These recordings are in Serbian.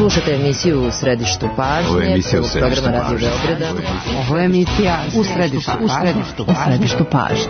Slušate emisiju U središtu pažnje. Ovo je emisija U središtu programa Radio pažnje. Beograda. Ovo je emisija U središtu pažnje.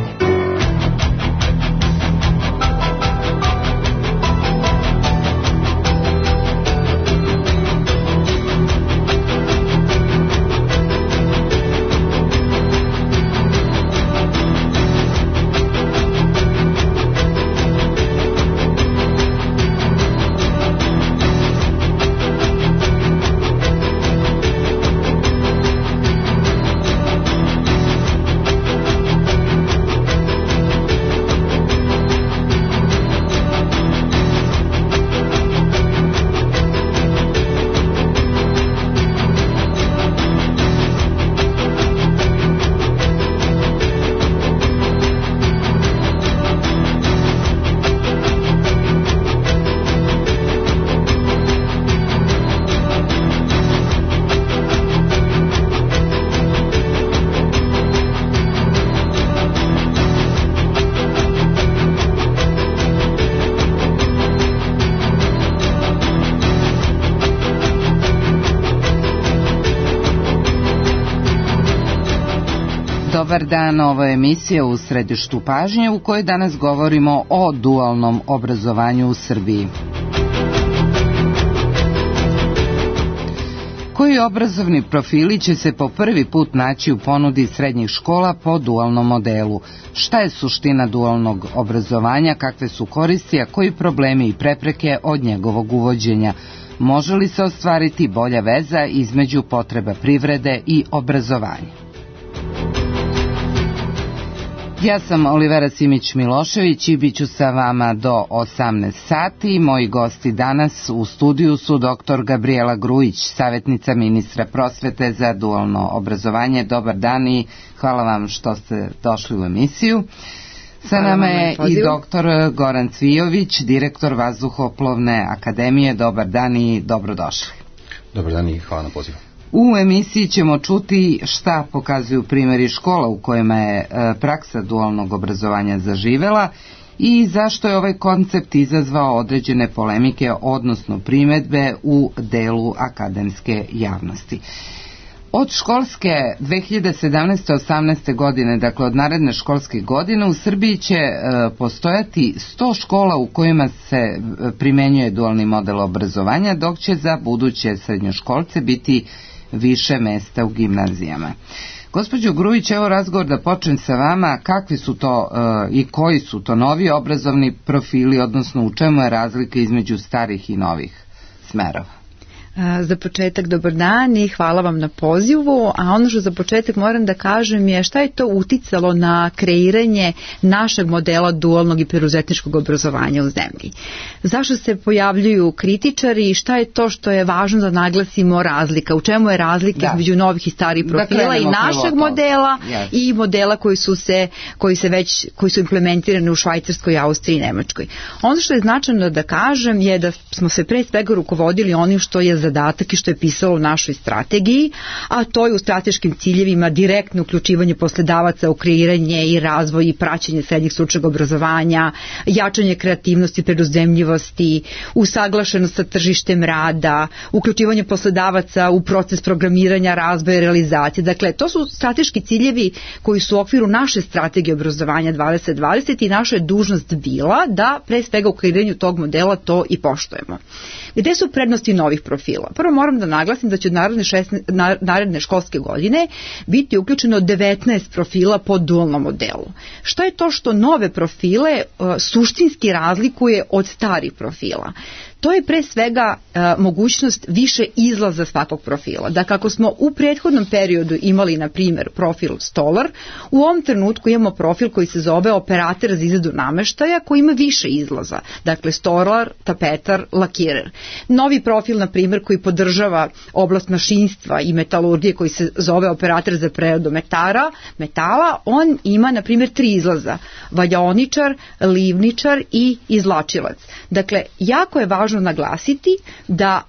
Dobar dan, ovo je emisija U središtu pažnje u kojoj danas govorimo o dualnom obrazovanju u Srbiji. Koji obrazovni profili će se po prvi put naći u ponudi srednjih škola po dualnom modelu? Šta je suština dualnog obrazovanja, kakve su koristi, a koji problemi i prepreke od njegovog uvođenja? Može li se ostvariti bolja veza između potreba privrede i obrazovanja? Ja sam Olivera Simić-Milošević i bit ću sa vama do 18 sati. Moji gosti danas u studiju su dr. Gabrijela Grujić, savjetnica ministra prosvete za dualno obrazovanje. Dobar dan i hvala vam što ste došli u emisiju. Sa nama je i dr. Goran Cvijović, direktor Vazduhoplovne akademije. Dobar dan i dobrodošli. Dobar dan i hvala na pozivu. U emisiji ćemo čuti šta pokazuju primjeri škola u kojima je praksa dualnog obrazovanja zaživela i zašto je ovaj koncept izazvao određene polemike, odnosno primjedbe u delu akademske javnosti. Od školske 2017-18. godine, dakle od naredne školske godine, u Srbiji će postojati 100 škola u kojima se primenjuje dualni model obrazovanja, dok će za buduće srednjoškolce biti više mesta u gimnazijama. Gospođo Grujić, evo razgovor da počnem sa vama. Kakvi su to i koji su to novi obrazovni profili, odnosno u čemu je razlika između starih i novih smerova? Za početak dobar dan i hvala vam na pozivu, a ono što za početak moram da kažem je šta je to uticalo na kreiranje našeg modela dualnog i preduzetničkog obrazovanja u zemlji. Zašto se pojavljuju kritičari i šta je to što je važno da naglasimo razlika, u čemu je razlika između novih i starih profila i našeg modela i modela koji su implementirani u Švajcarskoj, Austriji i Nemačkoj. Ono što je značajno da kažem je da smo se pre svega rukovodili onim što je zadatak i što je pisalo u našoj strategiji, a to je u strateškim ciljevima direktno uključivanje poslodavaca u kreiranje i razvoj i praćenje srednjeg stručnog obrazovanja, jačanje kreativnosti, preduzemljivosti, usaglašenost sa tržištem rada, uključivanje poslodavaca u proces programiranja, razvoja i realizacije. Dakle, to su strateški ciljevi koji su u okviru naše strategije obrazovanja 2020 i naša je dužnost bila da pre svega u kreiranju tog modela to i poštujemo. Gde su prednosti novih profila? Prvo moram da naglasim da će od naredne školske godine biti uključeno 19 profila po dualnom modelu. Šta je to što nove profile suštinski razlikuje od starih profila? To je pre svega mogućnost više izlaza svakog profila. Da kako smo u prethodnom periodu imali, na primjer, profil stolar, u ovom trenutku imamo profil koji se zove operator za izradu nameštaja, koji ima više izlaza. Dakle, stolar, tapetar, lakirer. Novi profil, na primjer, koji podržava oblast mašinstva i metalurgije, koji se zove operator za preradu metala, on ima, na primjer, 3 izlaza. Valjaoničar, livničar i izvlačilac. Dakle, jako je važno naglasiti da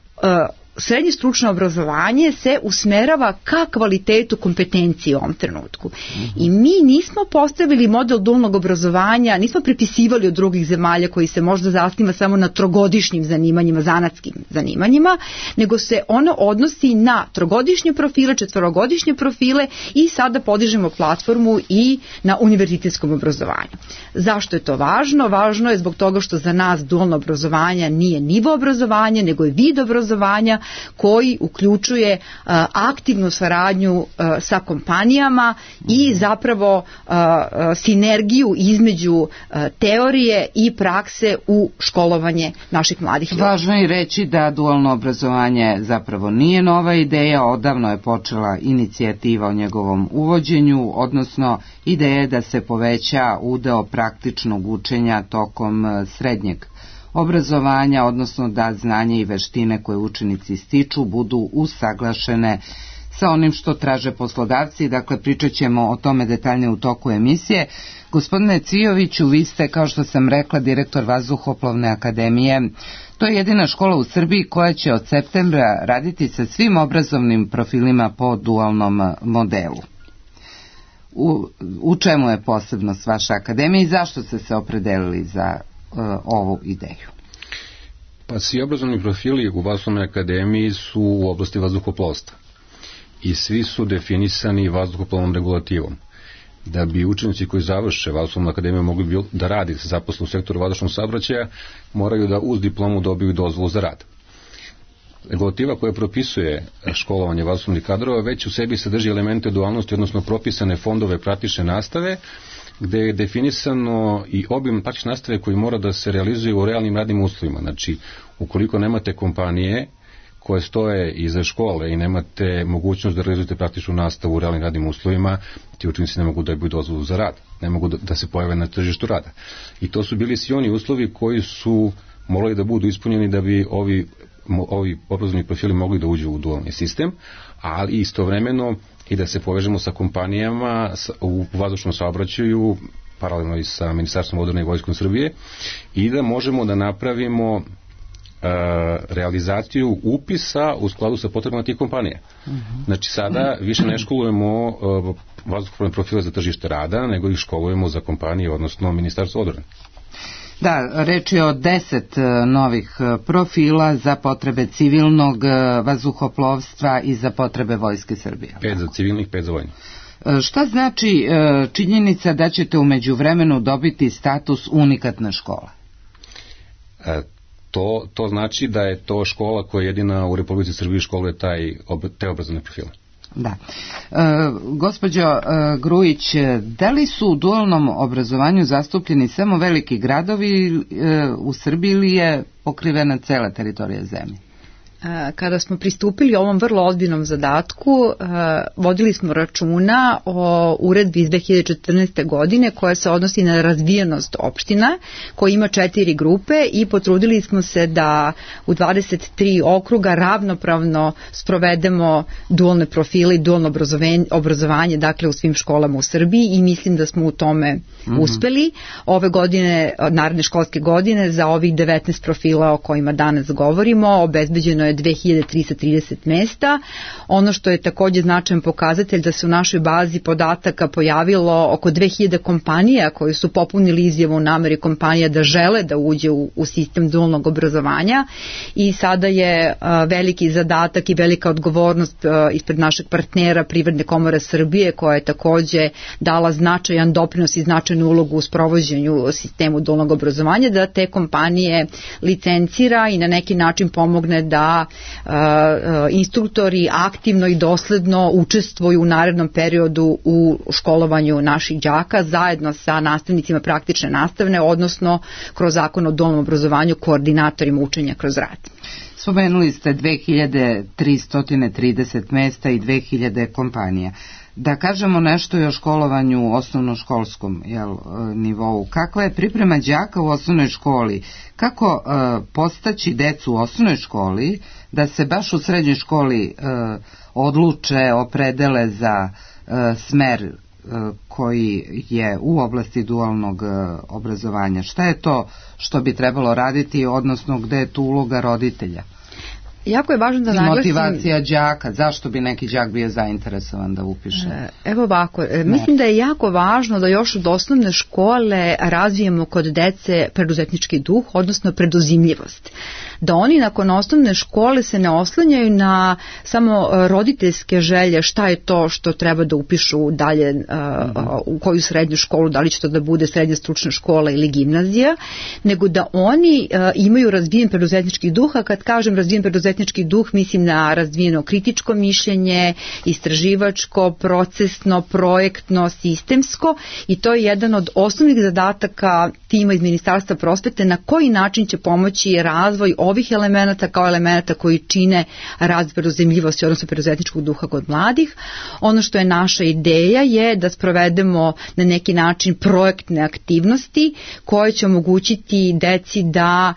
srednje stručno obrazovanje se usmerava ka kvalitetu kompetencije u ovom trenutku. I mi nismo postavili model dualnog obrazovanja, nismo prepisivali od drugih zemalja koji se možda zasniva samo na trogodišnjim zanimanjima, zanatskim zanimanjima, nego se ono odnosi na trogodišnje profile, četvorogodišnje profile i sada podižemo platformu i na univerzitetskom obrazovanju. Zašto je to važno? Važno je zbog toga što za nas dualno obrazovanje nije nivo obrazovanja, nego je vid obrazovanja koji uključuje aktivnu saradnju sa kompanijama i zapravo sinergiju između teorije i prakse u školovanje naših mladih ljudi. Važno je reći da dualno obrazovanje zapravo nije nova ideja, odavno je počela inicijativa o njegovom uvođenju, odnosno ideja da se poveća udeo praktičnog učenja tokom srednjeg obrazovanja, odnosno da znanje i veštine koje učenici stiču budu usaglašene sa onim što traže poslodavci. Dakle, pričat ćemo o tome detaljnije u toku emisije. Gospodine Cvijoviću, vi ste, kao što sam rekla, direktor Vazduhoplovne akademije. To je jedina škola u Srbiji koja će od septembra raditi sa svim obrazovnim profilima po dualnom modelu. U čemu je posebnost vaše akademije i zašto ste se opredelili za ovu ideju? Pa svi obrazovni profili u Vazduhoplovnoj akademiji su u oblasti vazduhoplovstva i svi su definisani vazduhoplovnom regulativom. Da bi učenici koji završe Vazduhoplovnu akademiju mogli da radi, se zaposle u sektoru vazdušnog saobraćaja, moraju da uz diplomu dobiju dozvolu za rad. Regulativa koja propisuje školovanje vazduhoplovnih kadrova već u sebi sadrži elemente dualnosti, odnosno propisane fondove praktične nastave, gde je definisano i obim praktične nastave koji mora da se realizuje u realnim radnim uslovima. Znači, ukoliko nemate kompanije koje stoje iza škole i nemate mogućnost da realizujete praktičnu nastavu u realnim radnim uslovima, ti učenici ne mogu da dobiju dozvolu za rad, ne mogu da se pojave na tržištu rada. I to su bili svi oni uslovi koji su morali da budu ispunjeni da bi ovi obrazovni profili mogli da uđu u dualni sistem, ali istovremeno i da se povežemo sa kompanijama u vazdušnom saobraćaju, paralelno i sa Ministarstvom odbrane i Vojskom Srbije, i da možemo da napravimo realizaciju upisa u skladu sa potrebama tih kompanija. Znači sada više ne školujemo vazduhoplovne profile za tržište rada, nego ih školujemo za kompanije, odnosno Ministarstvo odbrane. Da, reč je o 10 novih profila za potrebe civilnog vazduhoplovstva i za potrebe Vojske Srbije. 5 za civilnih, 5 za vojnih. Šta znači činjenica da ćete u međuvremenu dobiti status unikatne škole? To znači da je to škola koja jedina u Republici Srbiji školuje te obrazovne profile. Da. Gospođo Grujić, da li su u dualnom obrazovanju zastupljeni samo veliki gradovi u Srbiji ili je pokrivena cela teritorija zemlje? Kada smo pristupili ovom vrlo ozbiljnom zadatku, vodili smo računa o uredbi iz 2014. godine koja se odnosi na razvijenost opština, koja ima 4 grupe, i potrudili smo se da u 23 okruga ravnopravno sprovedemo dualne profile i dualno obrazovanje, dakle u svim školama u Srbiji, i mislim da smo u tome uspeli. Ove godine, naredne školske godine, za ovih 19 profila o kojima danas govorimo, obezbeđeno je 2330 mesta. Ono što je takođe značajan pokazatelj da se u našoj bazi podataka pojavilo oko 2000 kompanija koji su popunili izjavu o nameri kompanija da žele da uđe u sistem dualnog obrazovanja, i sada je veliki zadatak i velika odgovornost ispred našeg partnera Privredne komore Srbije, koja je takođe dala značajan doprinos i značajnu ulogu u sprovođenju sistemu dualnog obrazovanja, da te kompanije licencira i na neki način pomogne da instruktori aktivno i dosledno učestvuju u narednom periodu u školovanju naših đaka zajedno sa nastavnicima praktične nastavne, odnosno kroz zakon o dualnom obrazovanju koordinatorima učenja kroz rad. Spomenuli ste 2330 mesta i 2000 kompanija. Da kažemo nešto i o školovanju u osnovnoškolskom nivou. Kakva je priprema đaka u osnovnoj školi? Kako postaći decu u osnovnoj školi da se baš u srednjoj školi odluče, opredele za smer koji je u oblasti dualnog obrazovanja? Šta je to što bi trebalo raditi, odnosno gde je tu uloga roditelja? Jako je važno da naglasim... Motivacija đaka, zašto bi neki đak bio zainteresovan da upiše? Evo ovako, mislim da je jako važno da još od osnovne škole razvijemo kod dece preduzetnički duh, odnosno preduzimljivost. Da oni nakon osnovne škole se ne oslanjaju na samo roditeljske želje šta je to što treba da upišu dalje u koju srednju školu, da li će to da bude srednja stručna škola ili gimnazija, nego da oni imaju razvijen preduzetnički duh, a kad kažem razvijen preduzetnički duh, mislim na razvijeno kritičko mišljenje, istraživačko, procesno, projektno, sistemsko, i to je jedan od osnovnih zadataka tima iz Ministarstva prosvete na koji način će pomoći razvoj ovih elemenata kao elemenata koji čine razvoj preduzimljivosti, odnosno preduzetničkog duha kod mladih. Ono što je naša ideja je da sprovedemo na neki način projektne aktivnosti koje će omogućiti deci da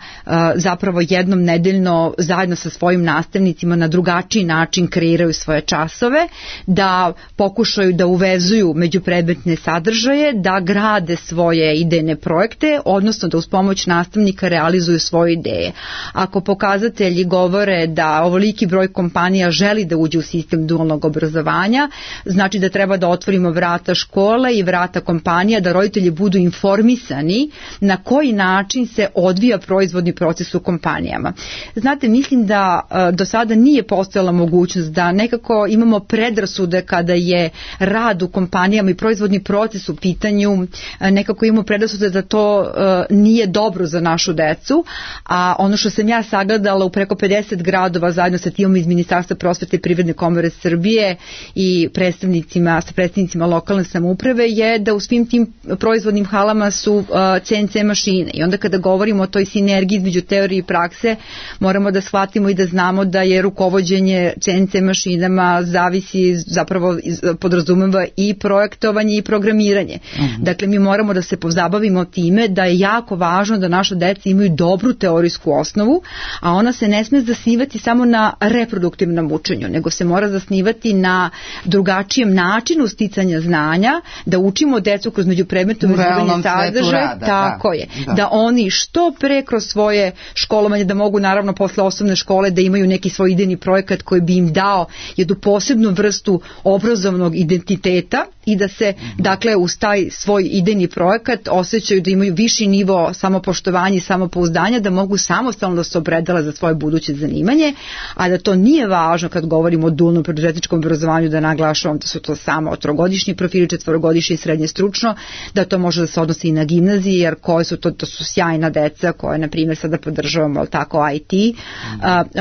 zapravo jednom nedeljno zajedno sa svojim nastavnicima na drugačiji način kreiraju svoje časove, da pokušaju da uvezuju međupredmetne sadržaje, da grade svoje idejne projekte, odnosno da uz pomoć nastavnika realizuju svoje ideje. Ako pokazatelji govore da ovoliki broj kompanija želi da uđe u sistem dualnog obrazovanja, znači da treba da otvorimo vrata škole i vrata kompanija, da roditelji budu informisani na koji način se odvija proizvodni proces u kompanijama. Znate, mislim da do sada nije postojala mogućnost da nekako imamo predrasude kada je rad u kompanijama i proizvodni proces u pitanju, nekako imamo predrasude da to nije dobro za našu decu, a ono što sam ja sagledala u preko 50 gradova zajedno sa timom iz Ministarstva prosvete i Privredne komore Srbije i predstavnicima lokalne samouprave je da u svim tim proizvodnim halama su CNC mašine, i onda kada govorimo o toj sinergiji između teorije i prakse, moramo da shvatimo i da znamo da je rukovođenje CNC mašinama zavisi, zapravo podrazumeva i projektovanje i programiranje. Dakle, mi moramo da se pozabavimo time da je jako važno da naša deca imaju dobru teorijsku osnovu, a ona se ne sme zasnivati samo na reproduktivnom učenju, nego se mora zasnivati na drugačijem načinu sticanja znanja, da učimo decu kroz međupredmetno vezivanje sadržaja, tako je, da oni što pre kroz svoje školovanje, da mogu naravno posle osnovne škole da imaju neki svoj idejni projekat koji bi im dao jednu posebnu vrstu obrazovnog identiteta i da se, dakle, uz taj svoj idejni projekat osjećaju da imaju viši nivo samopoštovanja i samopouzdanja, da mogu samostalno da se opredele za svoje buduće zanimanje, a da to nije važno kad govorimo o dualnom preduzetničkom obrazovanju, da naglašavam da su to samo trogodišnji profili, četvorogodišnji i srednje stručno, da to može da se odnosi i na gimnaziji, jer koje su to su sjajna deca koje, na primjer, sada podržavamo, ali tako, IT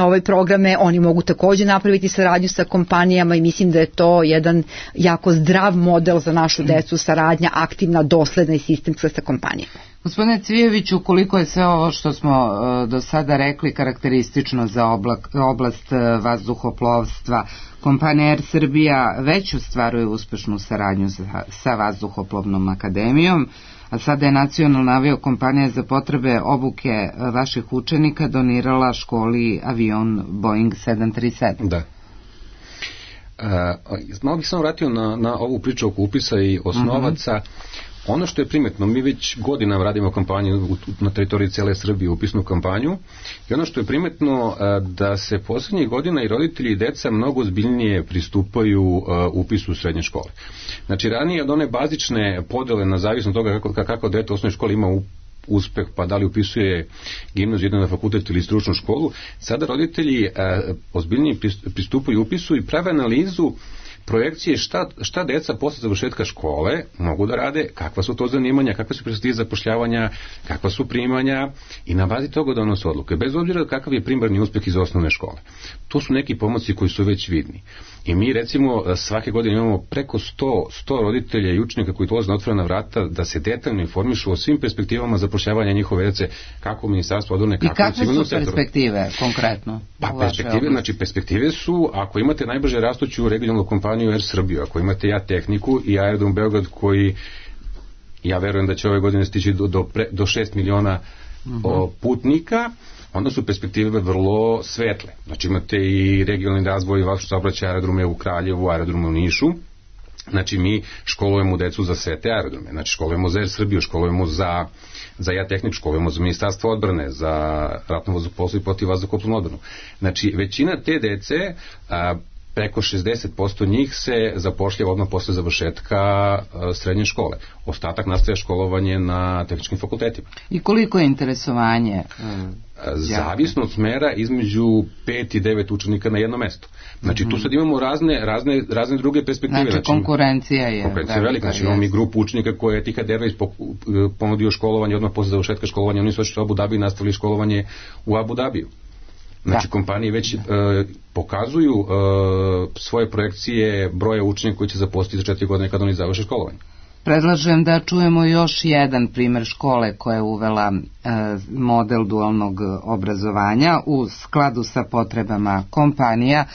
ove programe, oni mogu takođe napraviti saradnju sa kompanijama i mislim da je to jedan jako zdrav model za našu decu, saradnja aktivna, dosledna i sistemska sa kompanijama. Gospodine Cvijeviću, koliko je sve ovo što smo do sada rekli karakteristično za oblast vazduhoplovstva, kompanija Air Srbija već ostvaruje uspešnu saradnju sa Vazduhoplovnom akademijom, a sada je nacionalna aviokompanija za potrebe obuke vaših učenika donirala školi avion Boeing 737. Da. Malo bih samo vratio na ovu priču oko upisa i osnovaca. Ono što je primetno, mi već godinama radimo kampanju na teritoriji cele Srbije, upisnu kampanju, i ono što je primetno da se poslednjih godina i roditelji i deca mnogo ozbiljnije pristupaju upisu u srednje škole. Znači, ranije od one bazične podele na zavisno toga kako dete u osnovnoj školi ima uspeh, pa da li upisuje gimnaziju, jedan na fakultet ili stručnu školu, sada roditelji ozbiljnije pristupaju upisu i prave analizu projekcije šta deca posle završetka škole mogu da rade, kakva su to zanimanja, kakve su perspektive zapošljavanja, kakva su primanja, i na bazi toga donose odluke, bez obzira kakav je primarni uspeh iz osnovne škole. To su neki pomoći koji su već vidni. I mi, recimo, svake godine imamo preko 100 roditelja i učenika koji dolaze na otvorena vrata da se detaljno informišu o svim perspektivama zapošljavanja njihove dece, kako u Ministarstvu odbrane, kako u civilnom sektoru. I kakve su perspektive konkretno? Perspektive su, ako imate najbrže rastuću regionalnu kompaniju Air Srbiju, ako imate tehniku i Aerodrom Beograd, koji, ja verujem da će ove godine stići do 6 miliona putnika, onda su perspektive vrlo svetle. Znači, imate i regionalni razvoj vašeg saobraćaja, aerodrome u Kraljevu, aerodrome u Nišu, Znači mi školujemo decu za sve te aerodrome, znači školujemo za Air Srbiju, školujemo za JAT-tehniku, školujemo za Ministarstvo odbrane, za ratno vazduhoplovstvo i protivvazduhoplovnu odbranu. Znači većina te dece, preko 60% njih se zapošljava odmah posle završetka srednje škole. Ostatak nastaje školovanje na tehničkim fakultetima. I koliko je interesovanje? Zavisno od smera između 5 i 9 učenika na jedno mesto. Znači tu sad imamo razne druge perspektive. Znači konkurencija je velika. Znači imamo mi grupu učenika koje je Etihad Airways ponudio školovanje odmah posle završetka školovanja, oni su otišli u Abu Dhabi i nastavili školovanje u Abu Dhabiju. Znači kompanije već pokazuju svoje projekcije broja učenika koji će zaposliti za 4 godine kada oni završe školovanje. Predlažem da čujemo još jedan primer škole koja je uvela model dualnog obrazovanja u skladu sa potrebama kompanija.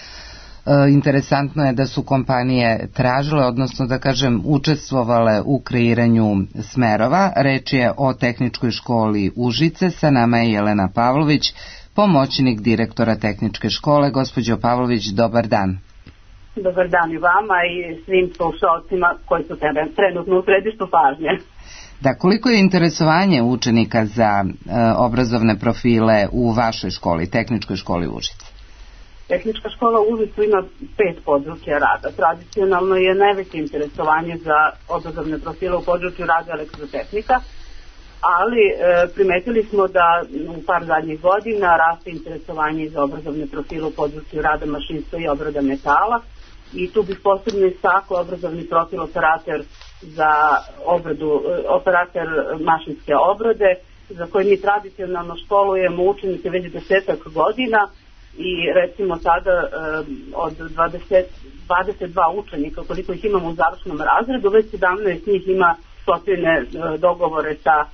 Interesantno je da su kompanije tražile, odnosno da kažem učestvovale u kreiranju smerova. Reč je o Tehničkoj školi Užice, sa nama je Jelena Pavlović, pomoćnik direktora Tehničke škole. Gospođo Pavlović, dobar dan. Dobar dan i vama i svim slušalcima koji su trenutno u središtu pažnje. Da, koliko je interesovanje učenika za obrazovne profile u vašoj školi, Tehničkoj školi Užice? Tehnička škola u Užicu ima 5 područja rada. Tradicionalno je najveće interesovanje za obrazovne profile u području rada elektrotehnika, ali primetili smo da u par zadnjih godina raste interesovanje za obrazovne profile u području rada mašinstva i obrada metala, i tu bih posebno istakla obrazovni profil operator za operator mašinske obrade, za koje mi tradicionalno školujemo učenike već 10 godina, i recimo sada od 22 učenika koliko ih imamo u završnom razredu, već 17 njih ima sklopljene dogovore sa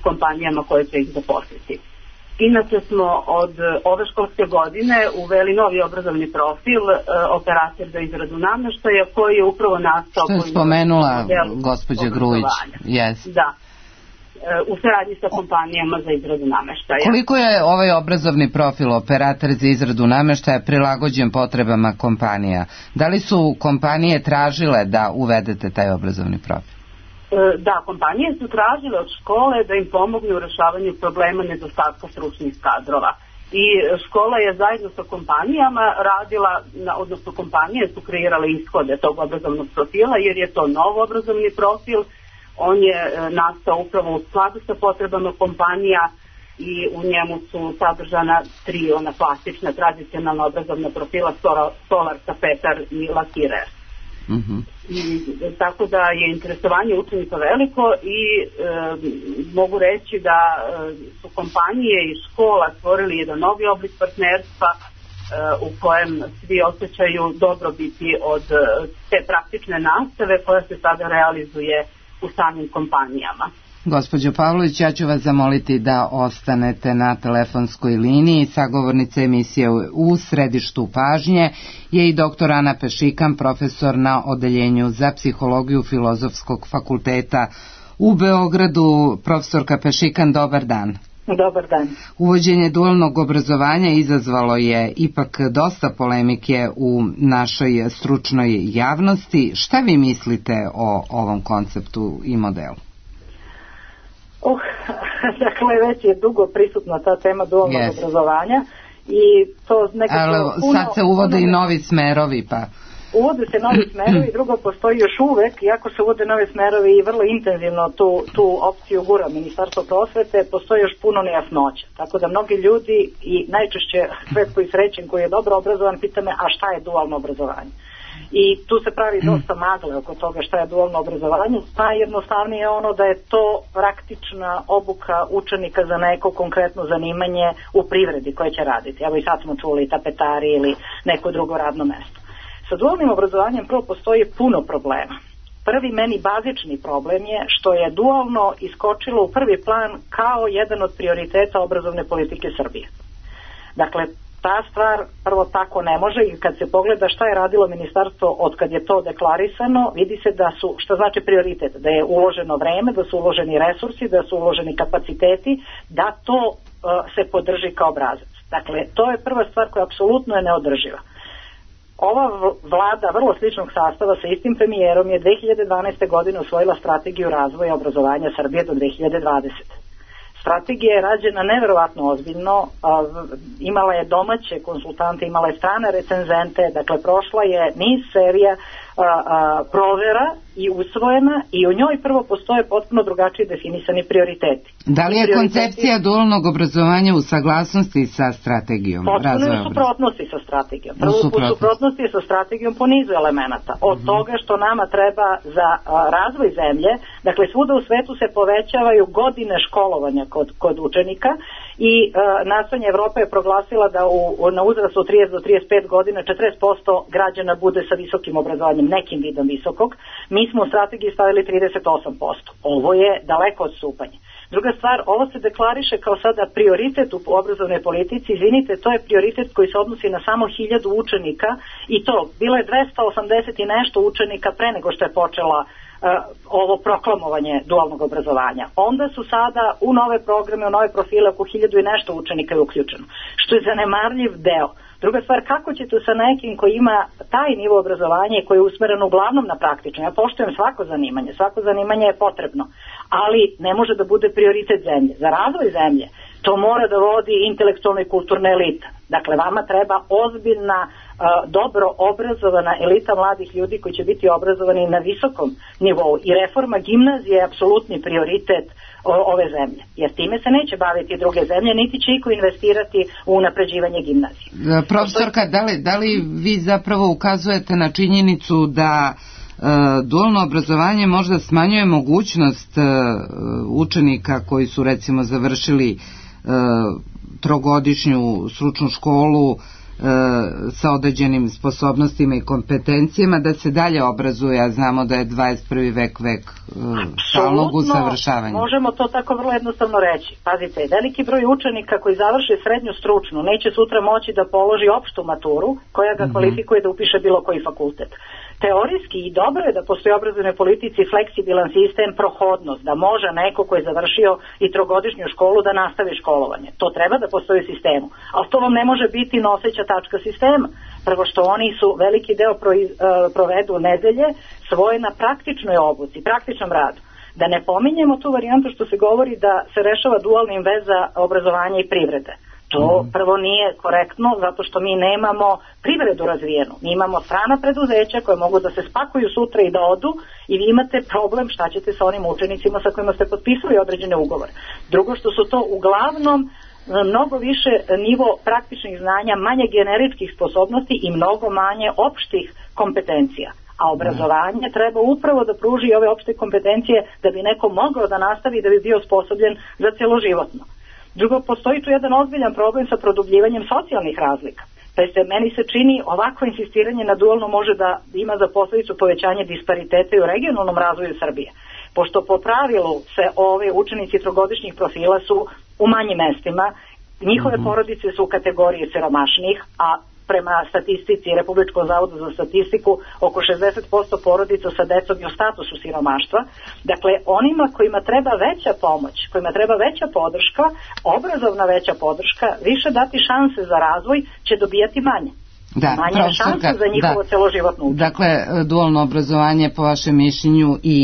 kompanijama koje će ih zaposliti. Inače smo od ove školske godine uveli novi obrazovni profil, operator za izradu namještaja, koji je upravo nastao... Što je spomenula gospođa Grujić. Yes. Da, u saradnji sa kompanijama za izradu namještaja. Koliko je ovaj obrazovni profil operator za izradu namještaja prilagođen potrebama kompanija? Da li su kompanije tražile da uvedete taj obrazovni profil? Da, kompanije su tražile od škole da im pomognu u rešavanju problema nedostatka stručnih kadrova. I škola je zajedno sa kompanijama radila, odnosno kompanije su kreirale ishode tog obrazovnog profila, jer je to nov obrazovni profil. On je nastao upravo u skladu sa potrebama kompanija i u njemu su sadržana 3 ona klasična tradicionalna obrazovna profila: stolar, tapetar i lakirer. I tako da je interesovanje učenika veliko i mogu reći da su kompanije i škola stvorili jedan novi oblik partnerstva u kojem svi osjećaju dobrobiti od te praktične nastave koja se sada realizuje u samim kompanijama. Gospođo Pavlović, ja ću vas zamoliti da ostanete na telefonskoj liniji. Sagovornica emisije u središtu pažnje je i dr. Ana Pešikan, profesor na Odeljenju za psihologiju Filozofskog fakulteta u Beogradu. Profesorka Pešikan, dobar dan. Dobar dan. Uvođenje dualnog obrazovanja izazvalo je ipak dosta polemike u našoj stručnoj javnosti. Šta vi mislite o ovom konceptu i modelu? Dakle, već je dugo prisutna ta tema dualnog obrazovanja i to nekako... Sad se uvode i novi smerovi, pa... Uvode se novi smerovi, drugo postoji još uvek, iako se uvode novi smerovi i vrlo intenzivno tu opciju gura Ministarstvo prosvete, postoji još puno nejasnoća. Tako da mnogi ljudi i najčešće svet koji srećen, koji je dobro obrazovan, pita me, a šta je dualno obrazovanje? I tu se pravi dosta magle oko toga šta je dualno obrazovanje. Najjednostavnije je ono da je to praktična obuka učenika za neko konkretno zanimanje u privredi koje će raditi. Evo i sad smo čuli tapetari ili neko drugo radno mesto. Sa dualnim obrazovanjem prvo postoji puno problema. Prvi meni bazični problem je što je dualno iskočilo u prvi plan kao jedan od prioriteta obrazovne politike Srbije. Dakle, ta stvar prvo tako ne može i kad se pogleda šta je radilo ministarstvo od kad je to deklarisano, vidi se da su, što znači prioritet, da je uloženo vreme, da su uloženi resursi, da su uloženi kapaciteti, da to se podrži kao obrazac. Dakle, to je prva stvar koja apsolutno je neodrživa. ova vlada vrlo sličnog sastava sa istim premijerom je 2012. godine usvojila strategiju razvoja obrazovanja Srbije do 2020. Strategija je rađena neverovatno ozbiljno, imala je domaće konsultante, imala je strane recenzente, dakle prošla je niz serija provera i usvojena i u njoj prvo postoje potpuno drugačije definisani prioriteti. Da li je koncepcija dualnog obrazovanja u saglasnosti sa strategijom? Potpuno je u suprotnosti sa strategijom. Prvo u suprotnosti je sa strategijom po nizu elemenata. Od toga što nama treba za razvoj zemlje, dakle svuda u svetu se povećavaju godine školovanja kod učenika i nastojanje Evrope je proglasila da na uzrastu od 30 do 35 godina 40% građana bude sa visokim obrazovanjem, nekim vidom visokog. Mi smo u strategiji stavili 38%. Ovo je daleko odstupanje. Druga stvar, ovo se deklariše kao sada prioritet u obrazovnoj politici. Izvinite, to je prioritet koji se odnosi na samo 1000 učenika i to bilo je 280 i nešto učenika pre nego što je počela ovo proklamovanje dualnog obrazovanja. Onda su sada u nove programe, u nove profile oko 1000 i nešto učenika je uključeno, što je zanemarljiv deo. Druga stvar, kako ćete sa nekim koji ima taj nivo obrazovanja i koji je usmeren uglavnom na praktično? Ja poštujem svako zanimanje je potrebno, ali ne može da bude prioritet zemlje. Za razvoj zemlje to mora da vodi intelektualna i kulturna elita. Dakle, vama treba ozbiljna, dobro obrazovana elita mladih ljudi koji će biti obrazovani na visokom nivou i reforma gimnazije je apsolutni prioritet ove zemlje, jer time se neće baviti druge zemlje, niti će iko investirati u unapređivanje gimnazije. Profesorka, da li vi zapravo ukazujete na činjenicu da dualno obrazovanje možda smanjuje mogućnost učenika koji su recimo završili trogodišnju stručnu školu sa određenim sposobnostima i kompetencijama da se dalje obrazuje, a znamo da je 21. vek stalnog usavršavanja. Možemo to tako vrlo jednostavno reći. Pazite, veliki broj učenika koji završe srednju stručnu neće sutra moći da položi opštu maturu koja ga kvalifikuje da upiše bilo koji fakultet. Teorijski i dobro je da postoji u obrazovnoj politici fleksibilan sistem, prohodnost, da može neko ko je završio i trogodišnju školu da nastavi školovanje. To treba da postoji u sistemu, ali to vam ne može biti noseća tačka sistema. Prvo što oni su veliki deo provedu nedelje svoje na praktičnoj obuci, praktičnom radu. Da ne pominjemo tu varijantu što se govori da se rešava dualnim veza obrazovanja i privrede. To prvo nije korektno zato što mi nemamo privredu razvijenu. Mi imamo strana preduzeća koje mogu da se spakuju sutra i da odu i vi imate problem šta ćete sa onim učenicima sa kojima ste potpisali određene ugovore. Drugo što su to uglavnom mnogo više nivo praktičnih znanja, manje generičkih sposobnosti i mnogo manje opštih kompetencija. A obrazovanje treba upravo da pruži ove opšte kompetencije da bi neko mogao da nastavi i da bi bio osposobljen za cjeloživotno. Drugo, postoji tu jedan ozbiljan problem sa produbljivanjem socijalnih razlika. Meni se čini ovako insistiranje na dualno može da ima za posljedicu povećanje dispariteta i u regionalnom razvoju Srbije. Pošto po pravilu se ove učenici trogodišnjih profila su u manjim mestima, njihove porodice su u kategoriji siromašnih, a prema statistici Republičkog zavoda za statistiku oko 60% porodica sa decom je u statusu siromaštva. Dakle, onima kojima treba veća pomoć, kojima treba veća podrška, obrazovna veća podrška, više dati šanse za razvoj, će dobijati manje. Manje šanse za njihovo celoživotno učenje. Dakle, dualno obrazovanje po vašem mišljenju i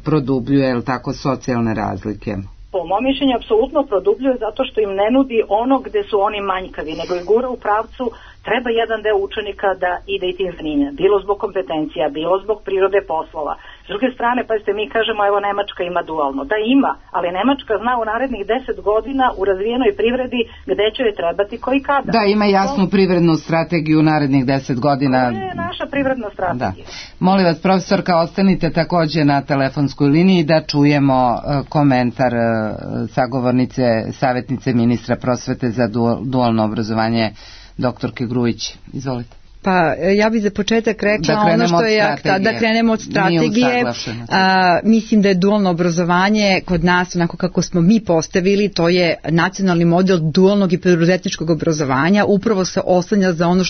produbljuje, je li tako, socijalne razlike? Po mom mišljenju apsolutno produbljuje zato što im ne nudi ono gde su oni manjkavi, nego i gura u pravcu treba jedan deo učenika da ide i tim zanimlja, bilo zbog kompetencija, bilo zbog prirode poslova. S druge strane, pazite, mi kažemo evo Nemačka ima dualno. Da ima, ali Nemačka zna u narednih 10 godina u razvijenoj privredi gde će joj trebati koji kada. Da, ima jasnu privrednu strategiju u narednih 10 godina. To je naša privredna strategija. Da. Molim vas, profesorka, ostanite takođe na telefonskoj liniji da čujemo komentar sagovornice, savjetnice ministra prosvete za dualno obrazovanje, doktorke Grujić. Izvolite. Pa ja bih za početak rekla ono što je da krenemo od strategije. Mislim da je dualno obrazovanje kod nas, onako kako smo mi postavili, to je nacionalni model dualnog i preduzetničkog obrazovanja, upravo se oslanja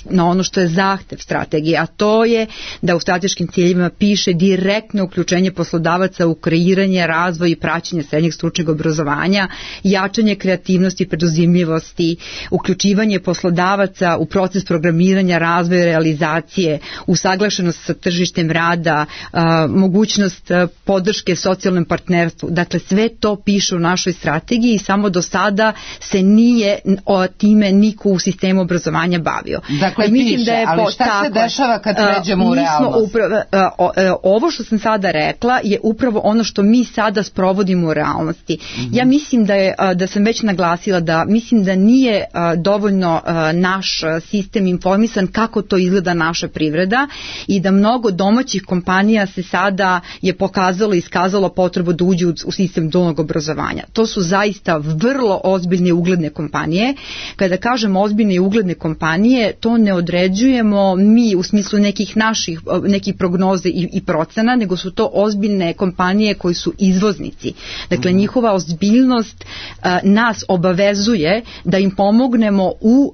na ono što je zahtev strategije, a to je da u strateškim ciljevima piše direktno uključenje poslodavaca u kreiranje, razvoj i praćenje srednjeg stručnog obrazovanja, jačanje kreativnosti i preduzimljivosti, uključivanje poslodavaca u proces programiranja, razvoja svoje realizacije, usaglašenost sa tržištem rada, mogućnost podrške socijalnom partnerstvu. Dakle, sve to piše u našoj strategiji i samo do sada se nije time niko u sistemu obrazovanja bavio. Dakle, piše, ali šta se dešava kad pređemo u realnost? Ovo što sam sada rekla je upravo ono što mi sada sprovodimo u realnosti. Ja mislim da sam već naglasila da mislim da nije dovoljno naš sistem informisan kako to izgleda naša privreda i da mnogo domaćih kompanija se sada je pokazalo i iskazalo potrebu da uđu u sistem dualnog obrazovanja. To su zaista vrlo ozbiljne i ugledne kompanije. Kada kažem ozbiljne i ugledne kompanije, to ne određujemo mi u smislu nekih prognoze i procena, nego su to ozbiljne kompanije koji su izvoznici. Dakle, njihova ozbiljnost nas obavezuje da im pomognemo u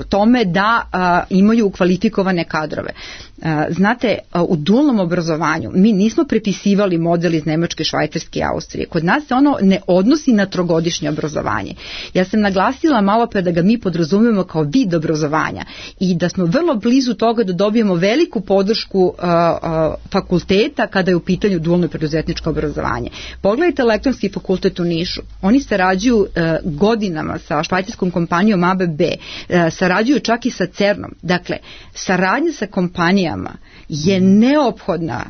tome da imaju kvalifikovane kadrove. Znate, u dualnom obrazovanju mi nismo prepisivali model iz Nemačke, Švajcarske i Austrije. Kod nas se ono ne odnosi na trogodišnje obrazovanje. Ja sam naglasila malo pre da ga mi podrazumijemo kao vid obrazovanja i da smo vrlo blizu toga da dobijemo veliku podršku fakulteta kada je u pitanju dualno preduzetničko obrazovanje. Pogledajte Elektronski fakultet u Nišu. Oni sarađuju godinama sa švajcarskom kompanijom ABB, sarađuju čak i sa CERN-om. Dakle, saradnja sa kompanijama je neophodna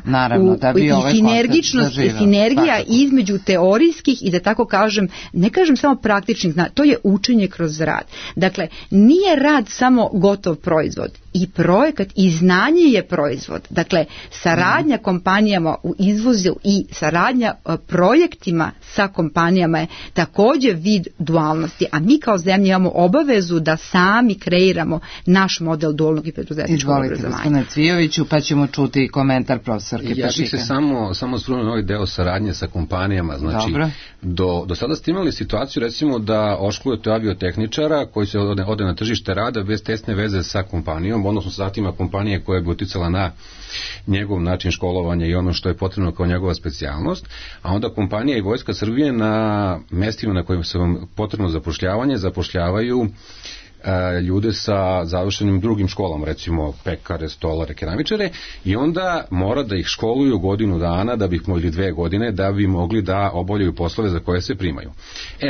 i sinergičnost i sinergija između teorijskih i da tako kažem, ne kažem samo praktičnih, to je učenje kroz rad. Dakle, nije rad samo gotov proizvod. I projekat i znanje je proizvod. Dakle, saradnja kompanijama u izvozu i saradnja projektima sa kompanijama je također vid dualnosti, a mi kao zemlja imamo obavezu da sami kreiramo naš model dualnog i preduzetničkog obrazovanja. Izvolite, gospodine Cvijoviću, pa ćemo čuti i komentar profesorke Pešika. Ja bih se samo osvrnuo na ovaj deo saradnje sa kompanijama. Znači, do sada ste imali situaciju, recimo, da oškolujete aviotehničara koji se ode na tržište rada bez tesne veze sa kompanijom, odnosno sa zatima kompanije koja bi uticala na njegov način školovanja i ono što je potrebno kao njegova specijalnost, a onda kompanija i Vojska Srbije na mestima na kojima se vam potrebno zapošljavaju ljude sa završenim drugim školama, recimo pekare, stolare, keramičare, i onda mora da ih školuju godinu dana ili 2 godine da bi mogli da obavljaju poslove za koje se primaju.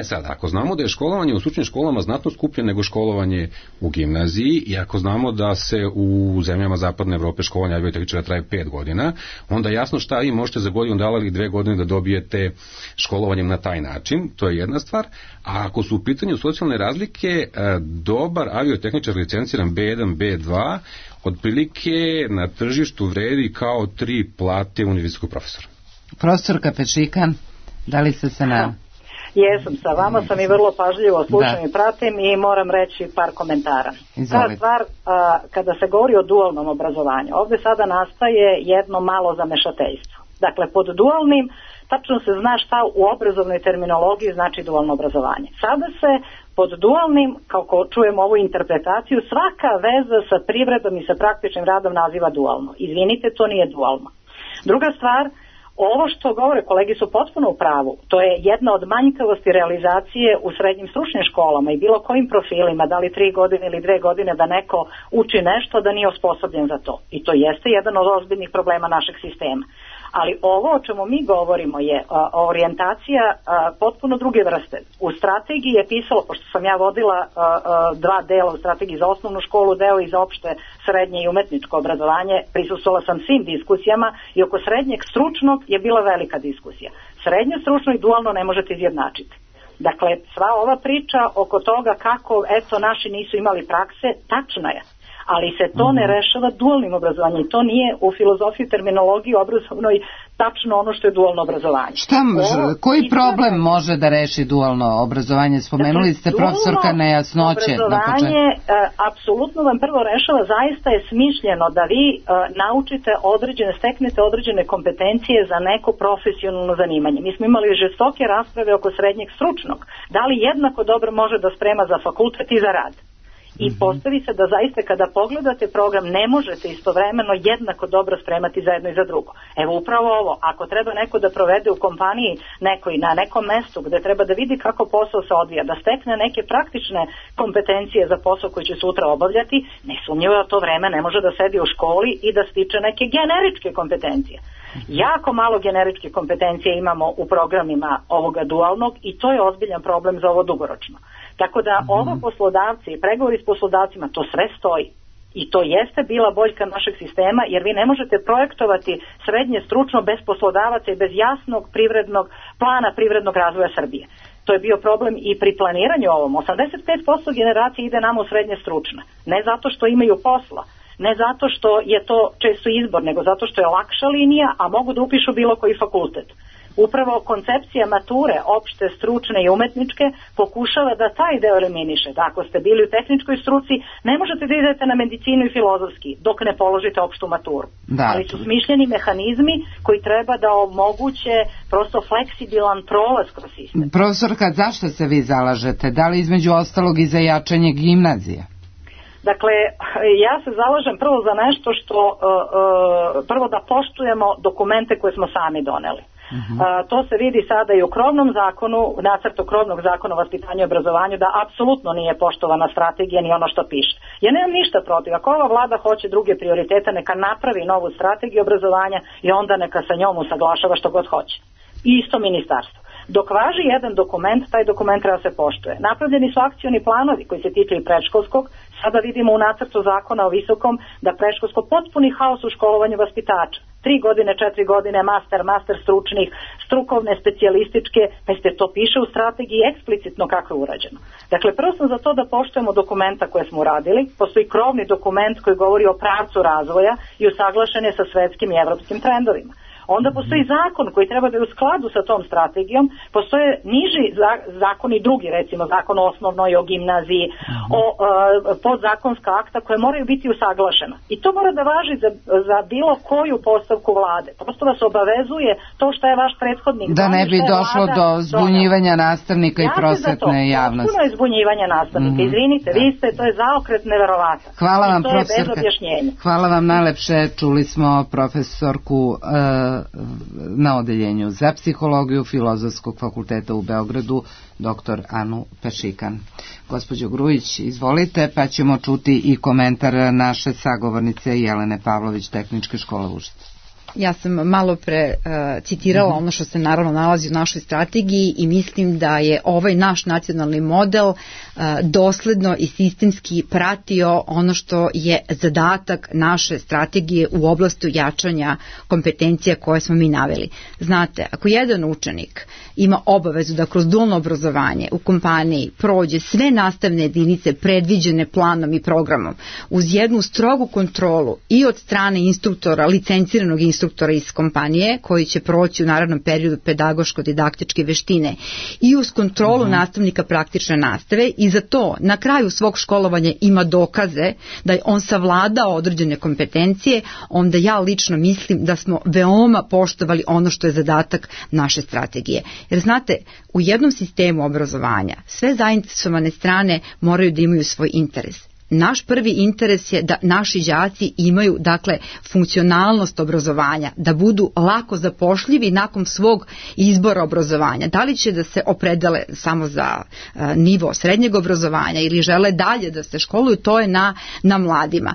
Sad, ako znamo da je školovanje u stručnim školama znatno skuplje nego školovanje u gimnaziji i ako znamo da se u zemljama zapadne Evrope školovanje aviotehničara traje 5 godina, onda jasno šta vi možete za godinu dana ili 2 godine da dobijete školovanjem na taj način, to je jedna stvar. A ako su u pitanju socijalne razlike, dobar aviotehničar licenciran B1, B2 otprilike na tržištu vredi kao 3 plate univerzitetskog profesora. Profesorka Pešika, da li ste se na... Jesam, sa vama sam i vrlo pažljivo slušam i pratim i moram reći par komentara. Ta stvar, kada se govori o dualnom obrazovanju, ovdje sada nastaje jedno malo zamešateljstvo. Dakle, pod dualnim tačno se zna šta u obrazovnoj terminologiji znači dualno obrazovanje. Sada se pod dualnim, kako čujemo ovu interpretaciju, svaka veza sa privredom i sa praktičnim radom naziva dualno. Izvinite, to nije dualno. Druga stvar, ovo što govore kolegi su potpuno u pravu. To je jedna od manjkavosti realizacije u srednjim stručnim školama i bilo kojim profilima, da li 3 godine ili 2 godine da neko uči nešto da nije osposobljen za to. I to jeste jedan od ozbiljnih problema našeg sistema. Ali ovo o čemu mi govorimo je orijentacija potpuno druge vrste. U strategiji je pisalo, pošto sam ja vodila 2 dela u strategiji za osnovnu školu, deo i za opšte srednje i umetničko obrazovanje, prisustvovala sam svim diskusijama i oko srednjeg stručnog je bila velika diskusija. Srednje stručno i dualno ne možete izjednačiti. Dakle, sva ova priča oko toga kako, naši nisu imali prakse, tačna je. Ali se to ne rešava dualnim obrazovanjem. To nije u filozofiji, terminologiji obrazovnoj tačno ono što je dualno obrazovanje. Koji problem može da reši dualno obrazovanje? Spomenuli ste profesorka nejasnoće. Obrazovanje apsolutno vam prvo rešava, zaista je smišljeno da vi steknete određene kompetencije za neko profesionalno zanimanje. Mi smo imali žestoke rasprave oko srednjeg stručnog. Da li jednako dobro može da sprema za fakultet i za rad? i postavi se da zaista kada pogledate program ne možete istovremeno jednako dobro spremati za jedno i za drugo. Evo upravo ovo, ako treba neko da provede u kompaniji nekoj na nekom mestu gde treba da vidi kako posao se odvija, da stekne neke praktične kompetencije za posao koji će sutra obavljati, nesumnjivo da to vreme ne može da sedi u školi i da stiče neke generičke kompetencije. Jako malo generičke kompetencije imamo u programima ovoga dualnog i to je ozbiljan problem za ovo dugoročno. Tako da ovo poslodavci i pregovori s poslodavcima, to sve stoji. I to jeste bila boljka našeg sistema, jer vi ne možete projektovati srednje stručno bez poslodavaca i bez jasnog privrednog plana privrednog razvoja Srbije. To je bio problem i pri planiranju ovom. 85% generacije ide nam u srednje stručne. Ne zato što imaju posla, ne zato što je to često izbor, nego zato što je lakša linija, a mogu da upišu bilo koji fakultet. Upravo koncepcija mature, opšte, stručne i umetničke, pokušava da taj deo eliminiše. Da ako ste bili u tehničkoj struci, ne možete da idete na medicinu i filozofski dok ne položite opštu maturu. Da. Ali su smišljeni mehanizmi koji treba da omoguće prosto fleksibilan prolaz kroz sistem. Profesorka, zašto se vi zalažete? Da li između ostalog i za jačanje gimnazije? Dakle, ja se zalažem prvo za nešto što, prvo da poštujemo dokumente koje smo sami doneli. To se vidi sada i u krovnom zakonu, nacrtu krovnog zakona o vaspitanju i obrazovanju, da apsolutno nije poštovana strategija ni ono što piše. Ja nemam ništa protiv, ako ova vlada hoće druge prioritete, neka napravi novu strategiju obrazovanja i onda neka sa njom usaglašava što god hoće. I isto ministarstvo. Dok važi jedan dokument, taj dokument treba se poštuje. Napravljeni su akcioni planovi koji se tiču i predškolskog. Sada vidimo u nacrtu zakona o visokom da predškolsko potpuni haos u školovanju vaspitača. 3 godine, 4 godine, master stručnih, strukovne, specijalističke, pa to piše u strategiji eksplicitno kako je urađeno. Dakle, prvo sam za to da poštujemo dokumenta koje smo uradili. Postoji krovni dokument koji govori o pravcu razvoja i usaglašen je sa svetskim i evropskim trendovima. Onda postoji zakon koji treba da je u skladu sa tom strategijom, postoje niži zakoni drugi, recimo zakon o osnovnoj, o gimnaziji, o podzakonska akta koje moraju biti usaglašena. I to mora da važi za bilo koju postavku vlade. Prosto vas obavezuje to što je vaš prethodnik. Da ne bi došlo do zbunjivanja nastavnika i prosvetne javnosti. Puno je zbunjivanja nastavnika. Izvinite, vi ste, to je zaokret neverovatan. Hvala vam, to profesorka. Je bez objašnjenja. Hvala vam najlepše. Čuli smo profesorku na odeljenju za psihologiju Filozofskog fakulteta u Beogradu, dr. Anu Pešikan. Gospođo Grujić, izvolite, pa ćemo čuti i komentar naše sagovornice Jelene Pavlović, Tehničke škole Užice. Ja sam malo pre citirala ono što se naravno nalazi u našoj strategiji i mislim da je ovaj naš nacionalni model dosledno i sistemski pratio ono što je zadatak naše strategije u oblasti jačanja kompetencija koje smo mi naveli. Znate, ako jedan učenik ima obavezu da kroz dualno obrazovanje u kompaniji prođe sve nastavne jedinice predviđene planom i programom uz jednu strogu kontrolu i od strane instruktora, licenciranog instruktora iz kompanije koji će proći u narednom periodu pedagoško-didaktičke veštine i uz kontrolu nastavnika praktične nastave i za to na kraju svog školovanja ima dokaze da je on savladao određene kompetencije, onda ja lično mislim da smo veoma poštovali ono što je zadatak naše strategije. Jer znate, u jednom sistemu obrazovanja sve zainteresovane strane moraju da imaju svoj interes. Naš prvi interes je da naši đaci imaju, dakle, funkcionalnost obrazovanja, da budu lako zapošljivi nakon svog izbora obrazovanja. Da li će da se opredele samo za nivo srednjeg obrazovanja ili žele dalje da se školuju, to je na mladima.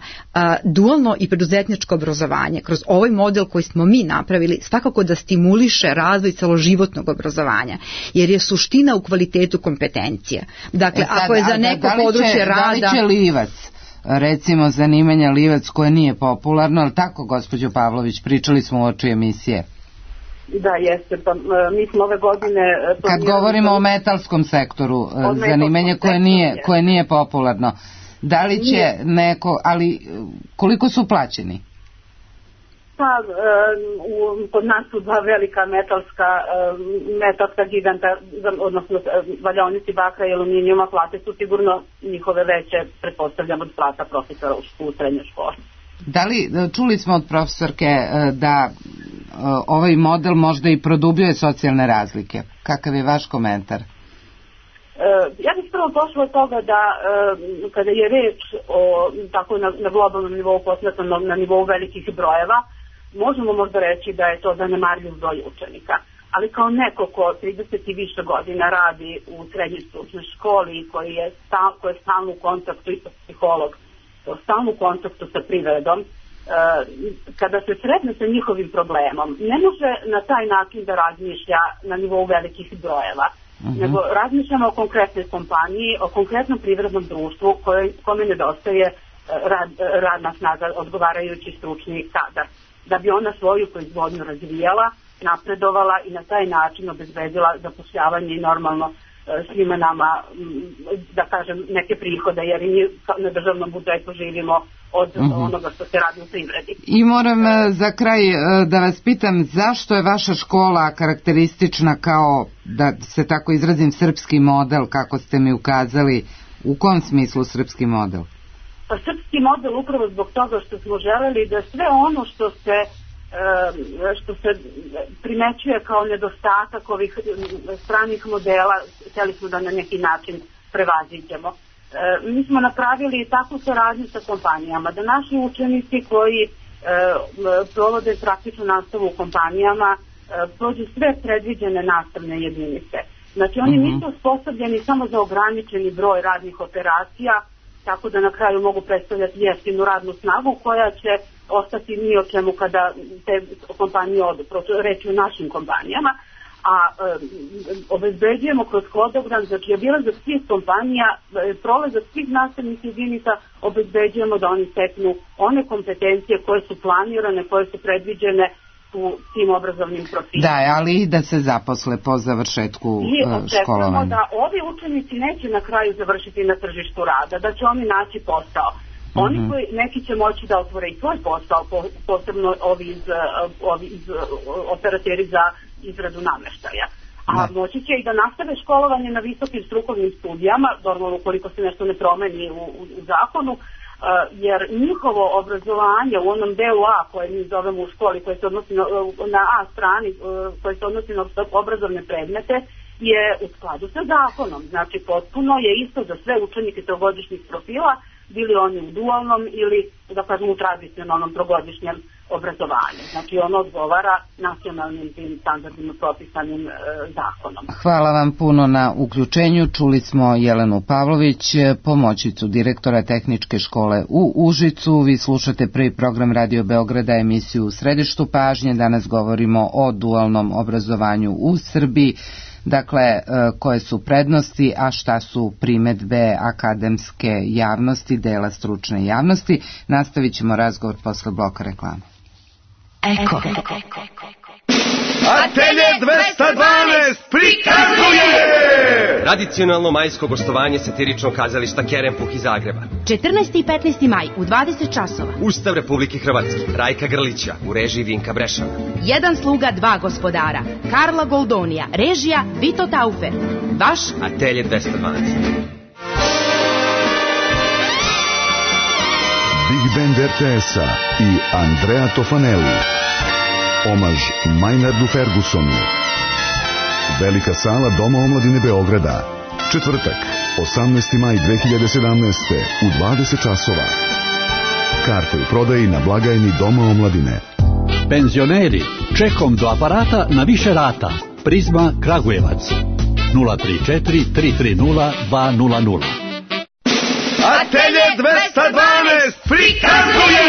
Dualno i preduzetničko obrazovanje kroz ovaj model koji smo mi napravili svakako da stimuliše razvoj celoživotnog obrazovanja, jer je suština u kvalitetu kompetencija. Dakle, ako je za neko područje rada... Recimo zanimanja livac koje nije popularno, ali tako, gospođo Pavlović, pričali smo u oči emisije. Da, jeste, pa mi smo ove godine... Kad govorimo o metalskom sektoru, zanimanje koje nije popularno, da li će neko, ali koliko su plaćeni? Pa, kod nas su dva velika metalska giganta, odnosno valjaonici bakra i aluminijuma, plate su sigurno njihove veće, pretpostavljam, od plata profesora u srednjoj školi. Da li, čuli smo od profesorke da ovaj model možda i produbljuje socijalne razlike? Kakav je vaš komentar? Ja bih prvo pošla od toga da kada je reč o tako na globalnom nivou posmatrano na nivou velikih brojeva, možemo možda reći da je to zanemarljiv broj učenika. Ali kao neko ko 30 i više godina radi u srednjoj stručnoj školi i koji je stalno u kontaktu, isto psiholog, stalno u kontaktu sa privredom, kada se sretne sa njihovim problemom, ne može na taj način da razmišlja na nivou velikih brojeva, nego razmišljamo o konkretnoj kompaniji, o konkretnom privrednom društvu kome nedostaje radna snaga, odgovarajući stručni kadar, da bi ona svoju proizvodnju razvijala, napredovala i na taj način obezbedila zapošljavanje i normalno svima nama, da kažem, neke prihode, jer i na državnom budžetu živimo od onoga što se radi u privredi. I moram za kraj da vas pitam, zašto je vaša škola karakteristična kao, da se tako izrazim, srpski model, kako ste mi ukazali? U kom smislu srpski model? Pa srpski model upravo zbog toga što smo želeli da sve ono što se primećuje kao nedostatak ovih stranih modela, htjeli smo da na neki način prevaziđemo. Mi smo napravili takvu saradnju sa kompanijama, da naši učenici koji provode praktičnu nastavu u kompanijama prođu sve predviđene nastavne jedinice. Znači oni nisu osposobljeni samo za ograničeni broj radnih operacija, tako da na kraju mogu predstavljati jeftinu radnu snagu koja će ostati ni o čemu kada te kompanije odu, reći u našim kompanijama, a obezbeđujemo kroz hodogram, znači obilazak svih kompanija, prolazak svih nastavnih jedinica, obezbeđujemo da oni steknu one kompetencije koje su planirane, koje su predviđene u tim obrazovnim profilima. Da, ali i da se zaposle po završetku školovanja. I očekujemo da ovi učenici neće na kraju završiti na tržištu rada, da će oni naći posao. Oni koji, neki će moći da otvore i svoj posao, posebno ovi iz operateri za izradu namještaja. A moći će i da nastave školovanje na visokim strukovnim studijama, normalno ukoliko se nešto ne promeni u zakonu, jer njihovo obrazovanje u onom delu A koje mi zovemo u školi, koje se odnosi na A strani, koje se odnosi na obrazovne predmete, je u skladu sa zakonom. Znači potpuno je isto za sve učenike trogodišnjih profila, bili oni u dualnom ili, da kažem, u tradicionalnom trogodišnjem obrazovanju. Znači ono odgovara nacionalnim tim standardima propisanim zakonom. Hvala vam puno na uključenju. Čuli smo Jelenu Pavlović, pomoćnicu direktora Tehničke škole u Užicu. Vi slušate prvi program Radio Beograda, emisiju U središtu pažnje. Danas govorimo o dualnom obrazovanju u Srbiji. Dakle, koje su prednosti, a šta su primedbe akademske javnosti, dela stručne javnosti. Nastavit ćemo razgovor posle bloka reklama. Eko. Atelje 212 prikazuje tradicionalno majsko gostovanje satiričnog kazališta Kerempuh iz Zagreba. 14. i 15. maj u 20 časova. Ustav Republike Hrvatske, Rajka Grlića u režiji Vinka Brešana. Jedan sluga, dva gospodara. Karla Goldonija, režija Vito Taufer. Vaš Atelje 212. Big Band RTS-a i Andrea Tofanelli. Omaž Maynardu Fergusonu. Velika sala Doma omladine Beograda. Četvrtak, 18. maj 2017. u 20 časova. Karte u prodaji na blagajni Doma omladine. Penzioneri, čekom do aparata na više rata. Prizma Kragujevac. 034 330 200. Atelje 212 prikazuje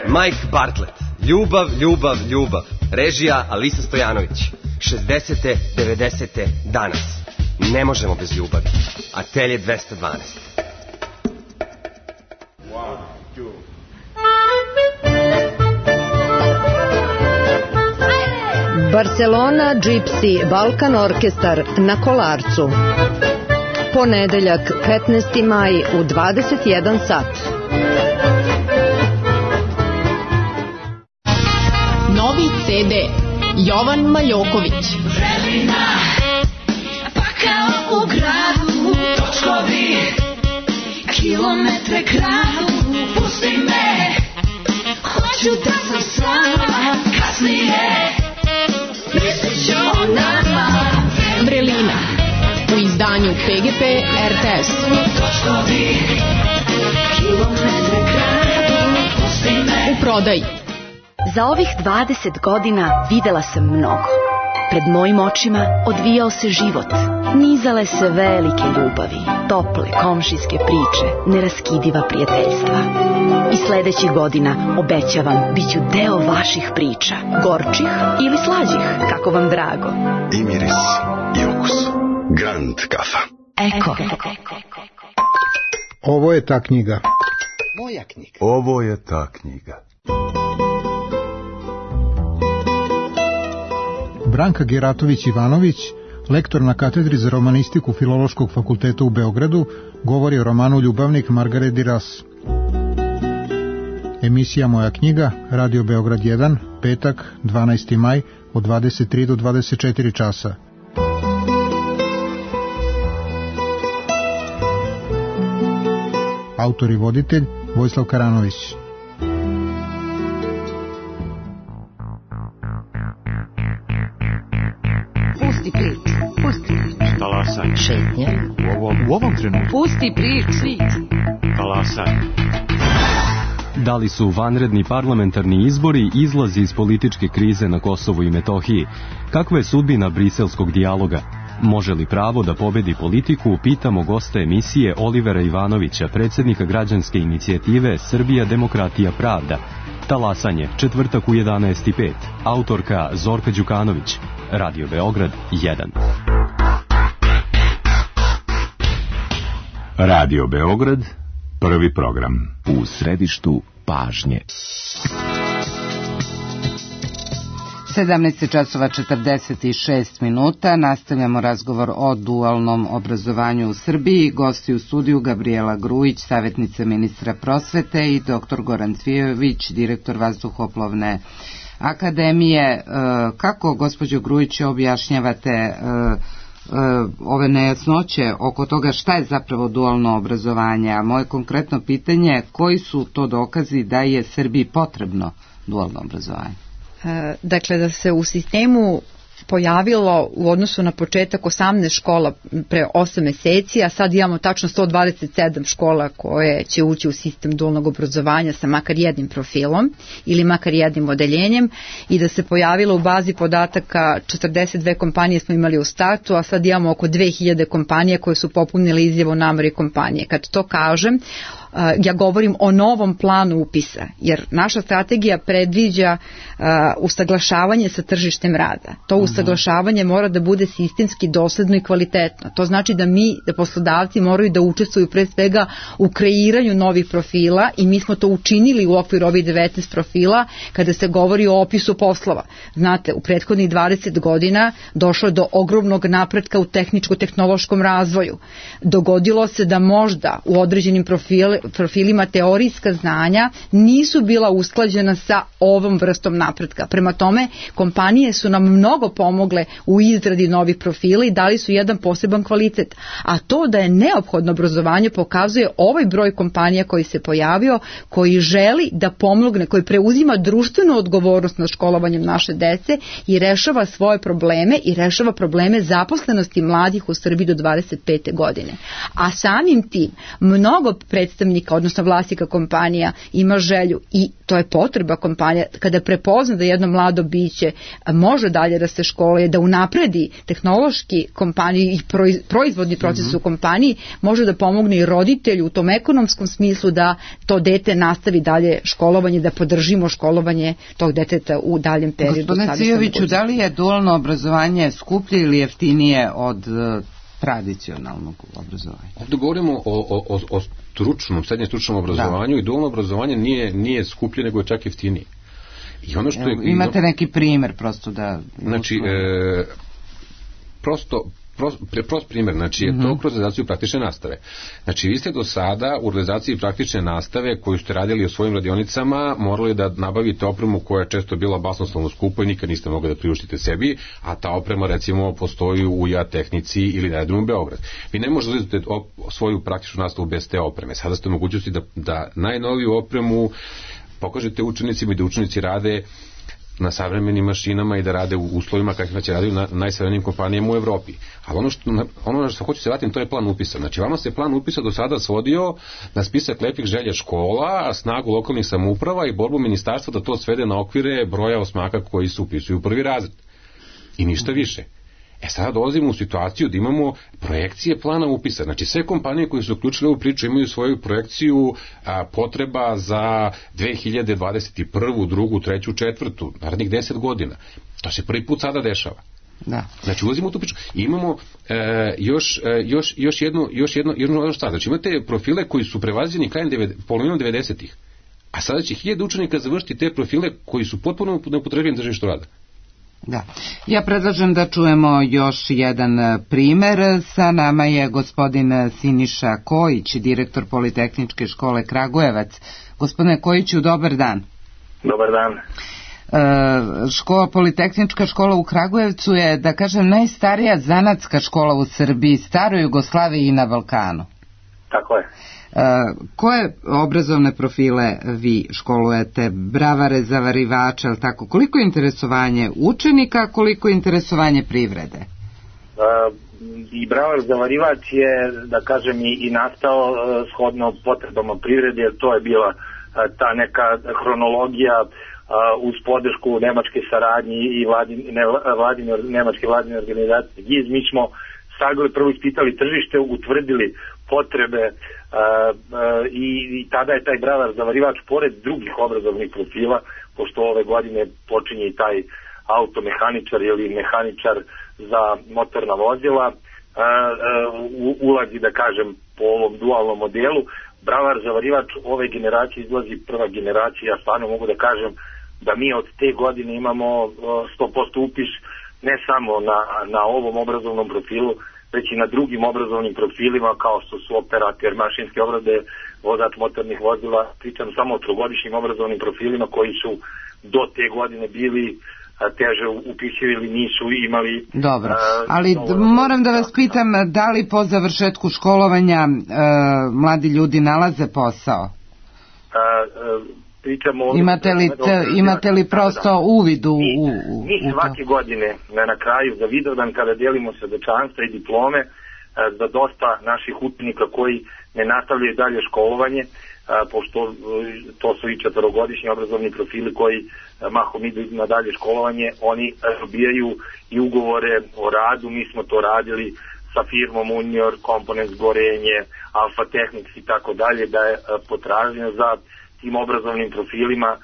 Mike Bartlett. Ljubav, ljubav, ljubav. Režija Alisa Stojanović. 60. 90. danas. Ne možemo bez ljubavi. Atelje 212. Barcelona Gypsy Balkan Orkestar na Kolarcu. Ponedeljak 15. maj u 21 sat. Novi CD Jovan Maljoković. Vremena, pa kao u gradu, točkovi, kilometre kradu, pusti me, hoću da sam sama, kasnije, mislit ću o nama. Vrelina, u izdanju PGP RTS. U prodaji. Za ovih 20 godina videla sam mnogo. Pred mojim očima odvijao se život. Nizale se velike ljubavi, tople komšijske priče, neraskidiva prijateljstva. I sledećih godina, obećavam, bit ću deo vaših priča. Gorčih ili slađih, kako vam drago. I miris, i okus. Grand kafa. Eko. Ovo je ta knjiga. Moja knjiga. Ovo je ta knjiga. Branka Geratović-Ivanović, lektor na katedri za romanistiku Filološkog fakulteta u Beogradu, govori o romanu Ljubavnik Margaret Duras. Emisija Moja knjiga, Radio Beograd 1, petak, 12. maj, od 23 do 24 časa. Autor i voditelj Vojislav Karanović. Pusti priču, pusti priču. Talasaj. Šetnje. U ovom trenutku. Pusti priču. Talasaj. Da li su vanredni parlamentarni izbori izlazi iz političke krize na Kosovu i Metohiji? Kakva je sudbina briselskog dijaloga? Može li pravo da pobedi politiku? Pitamo gosta emisije Olivera Ivanovića, predsjednika građanske inicijative Srbija, demokratija, pravda. Talasanje, četvrtak u 11:05. Autorka Zorka Đukanović. Radio Beograd 1. Radio Beograd, prvi program. U središtu pažnje. 17:46. Nastavljamo razgovor o dualnom obrazovanju u Srbiji. Gosti u studiju Gabriela Grujić, savjetnica ministra prosvete, i dr. Goran Cvijović, direktor Vazduhoplovne akademije. Kako, gospođo Grujić, objašnjavate ove nejasnoće oko toga šta je zapravo dualno obrazovanje? A moje konkretno pitanje, koji su to dokazi da je Srbiji potrebno dualno obrazovanje? Dakle, da se u sistemu pojavilo u odnosu na početak 18 škola pre 8 meseci, a sad imamo tačno 127 škola koje će ući u sistem dualnog obrazovanja sa makar jednim profilom ili makar jednim odeljenjem, i da se pojavilo u bazi podataka 42 kompanije smo imali u startu, a sad imamo oko 2000 kompanija koje su popunile izjavu nameri kompanije. Kad to kažem, ja govorim o novom planu upisa, jer naša strategija predviđa usaglašavanje sa tržištem rada. To usaglašavanje mora da bude sistemski dosledno i kvalitetno. To znači da poslodavci moraju da učestvuju pre svega u kreiranju novih profila, i mi smo to učinili u okviru ovih 19 profila kada se govori o opisu poslova. Znate, u prethodnih 20 godina došlo je do ogromnog napretka u tehničko-tehnološkom razvoju. Dogodilo se da možda u određenim profilima teorijska znanja nisu bila usklađena sa ovom vrstom napretka. Prema tome, kompanije su nam mnogo pomogle u izradi novih profila i dali su jedan poseban kvalitet. A to da je neophodno obrazovanje pokazuje ovaj broj kompanija koji se pojavio, koji želi da pomogne, koji preuzima društvenu odgovornost nad školovanjem naše dece i rešava svoje probleme i rešava probleme zaposlenosti mladih u Srbiji do 25. godine. A samim tim, mnogo predstavnika, odnosno vlasnika kompanija, ima želju, i to je potreba kompanija, kada prepozna da jedno mlado biće može dalje da se školuje, da unapredi tehnološki kompaniju i proizvodni proces u kompaniji, može da pomogne i roditelju u tom ekonomskom smislu da to dete nastavi dalje školovanje, da podržimo školovanje tog deteta u daljem periodu. Gospodine Cijoviću, da li je dualno obrazovanje skuplje ili jeftinije od tradicionalnog obrazovanja? Ovdje govorimo o stručnom, srednje stručnom obrazovanju, i dualno obrazovanje nije skuplje, nego je čak jeftinije. I ono što je, imate neki primjer prosto da... Znači, prost primjer, znači je to kroz realizaciju praktične nastave. Znači, vi ste do sada u realizaciji praktične nastave koju ste radili u svojim radionicama morali da nabavite opremu koja je često bila basnoslovno skupa i nikad niste mogli da priuštite sebi, a ta oprema recimo postoji u tehnici ili na jednom u Beograd. Vi ne možete uzeti svoju praktičnu nastavu bez te opreme. Sada ste u mogućnosti da najnoviju opremu pokažete učenicima i da učenici rade na savremenim mašinama i da rade u uslovima kakvima će raditi na najsavremenijim kompanijama u Evropi. Ali ono što hoću se vratiti, to je plan upisa. Znači, vama se plan upisa do sada svodio na spisak lepih želja škola, snagu lokalnih samouprava i borbu ministarstva da to svede na okvire broja osmaka koji se upisuju u prvi razred. I ništa više. Sada dolazimo u situaciju da imamo projekcije plana upisa. Znači, sve kompanije koje su uključile ovu priču imaju svoju projekciju potreba za 2021. 2. 3. 4. narednih 10 godina. To se prvi put sada dešava. Da. Znači, ulazimo u tu priču. I imamo još jednu stvar. Znači, imate profile koji su prevazljeni polovinom 90-ih. A sada će 1000 učenika završiti te profile koji su potpuno neupotrebljeni na tržištu rada. Da. Ja predlažem da čujemo još jedan primer. Sa nama je gospodin Siniša Kojić, direktor Politehničke škole Kragujevac. Gospodine Kojiću, dobar dan. Dobar dan. Politehnička škola u Kragujevcu je, da kažem, najstarija zanatska škola u Srbiji, staroj Jugoslaviji i na Balkanu. Tako je. Koje obrazovne profile vi školujete? Bravare, zavarivače, ali tako? Koliko je interesovanje učenika, koliko je interesovanje privrede? I bravar zavarivač je, da kažem, i nastao shodno potrebama privrede, jer to je bila ta neka hronologija uz podršku nemačke saradnje i nemačke vladine organizacije GIZ. Mi smo sagledali, prvo ispitali tržište, utvrdili potrebe i tada je taj bravar zavarivač pored drugih obrazovnih profila, pošto ove godine počinje i taj automehaničar ili mehaničar za motorna vozila, ulazi, da kažem, po ovom dualnom modelu. Bravar zavarivač ove generacije izlazi prva generacija. Ja stvarno mogu da kažem da mi od te godine imamo 100% upis ne samo na ovom obrazovnom profilu, već i na drugim obrazovnim profilima kao što su operator mašinske obrade, vozač motornih vozila. Pričam samo o trogodišnjim obrazovnim profilima koji su do te godine bili teže upisivi ili nisu imali... Dobro, ali moram da vas pitam, da li po završetku školovanja mladi ljudi nalaze posao? Imate li prosto uvid u... Mi svake godine na kraju za Vidovdan, kada delimo svedočanstva i diplome za dosta naših učenika koji ne nastavljaju dalje školovanje, pošto to su i 4-godišnji obrazovni profili koji mahom idu na dalje školovanje, oni dobijaju i ugovore o radu. Mi smo to radili sa firmom Unior, Components Gorenje, Alfa Technics i tako dalje, da je potražnja za tim obrazovnim profilima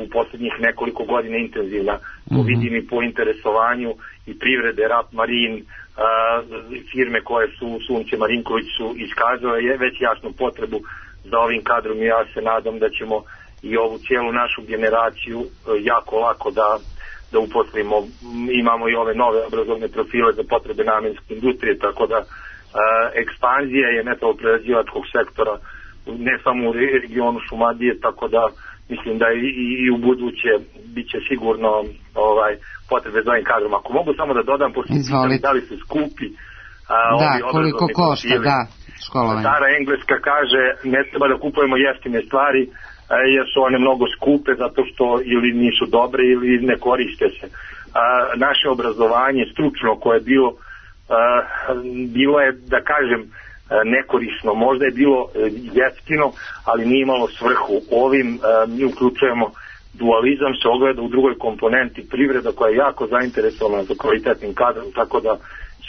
u posljednjih nekoliko godina intenzivna. To vidim i po interesovanju i privrede, Rap Marin, firme koje su Sunce Marinković su iskazale već jasnu potrebu za ovim kadrom i ja se nadam da ćemo i ovu cijelu našu generaciju jako lako da uposlimo. Imamo i ove nove obrazovne profile za potrebe namenske industrije, tako da ekspanzija je metaloprerađivačkog sektora ne samo u regionu Šumadije, tako da mislim da i u buduće bit će sigurno potrebe za ovim kadrom. Ako mogu samo da dodam, da li su skupi koliko košta, školovanje. Stara Engleska kaže ne treba da kupujemo jeftine stvari jer su one mnogo skupe zato što ili nisu dobre ili ne koriste se. Naše obrazovanje stručno koje je bilo je, da kažem, nekorisno, možda je bilo jeftino, ali nije imalo svrhu. Ovim mi uključujemo dualizam, se ogleda u drugoj komponenti privreda koja je jako zainteresovana za kvalitetnim kadrom, tako da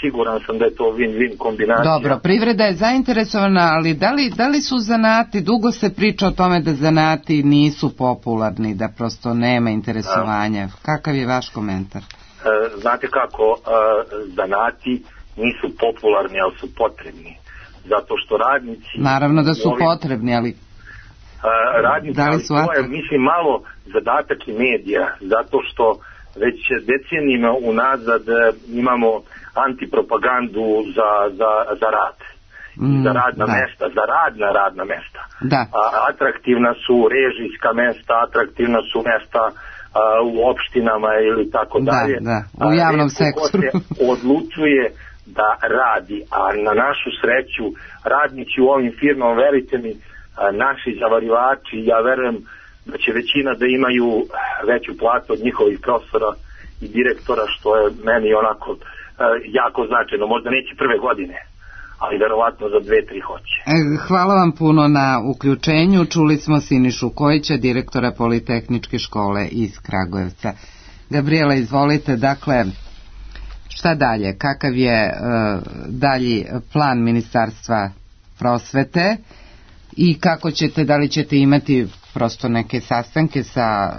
siguran sam da je to win-win kombinacija. Dobro, privreda je zainteresovana, ali da li su zanati, dugo se priča o tome da zanati nisu popularni, da prosto nema interesovanja. Kakav je vaš komentar? Znate kako, zanati nisu popularni, ali su potrebni. Zato što radnici... Naravno da su potrebni, ali... Radnici, to je, mislim, malo zadatak i medija, zato što već decenijima unazad imamo antipropagandu za rad. Za radna mesta, za radna mesta. Atraktivna su režijska mesta, atraktivna su mesta u opštinama ili tako dalje. U javnom sektoru. Ko se odlučuje da radi, a na našu sreću radnici u ovim firmama, verite mi, naši zavarivači, ja verujem da će većina da imaju veću platu od njihovih profesora i direktora, što je meni onako jako značajno. Možda neće prve godine, ali verovatno za 2-3 hoće. Hvala vam puno na uključenju. Čuli smo Sinišu Kojića, direktora Politehničke škole iz Kragujevca. Gabriela, izvolite, dakle, šta dalje? Kakav je dalji plan Ministarstva prosvete i kako ćete, da li ćete imati prosto neke sastanke sa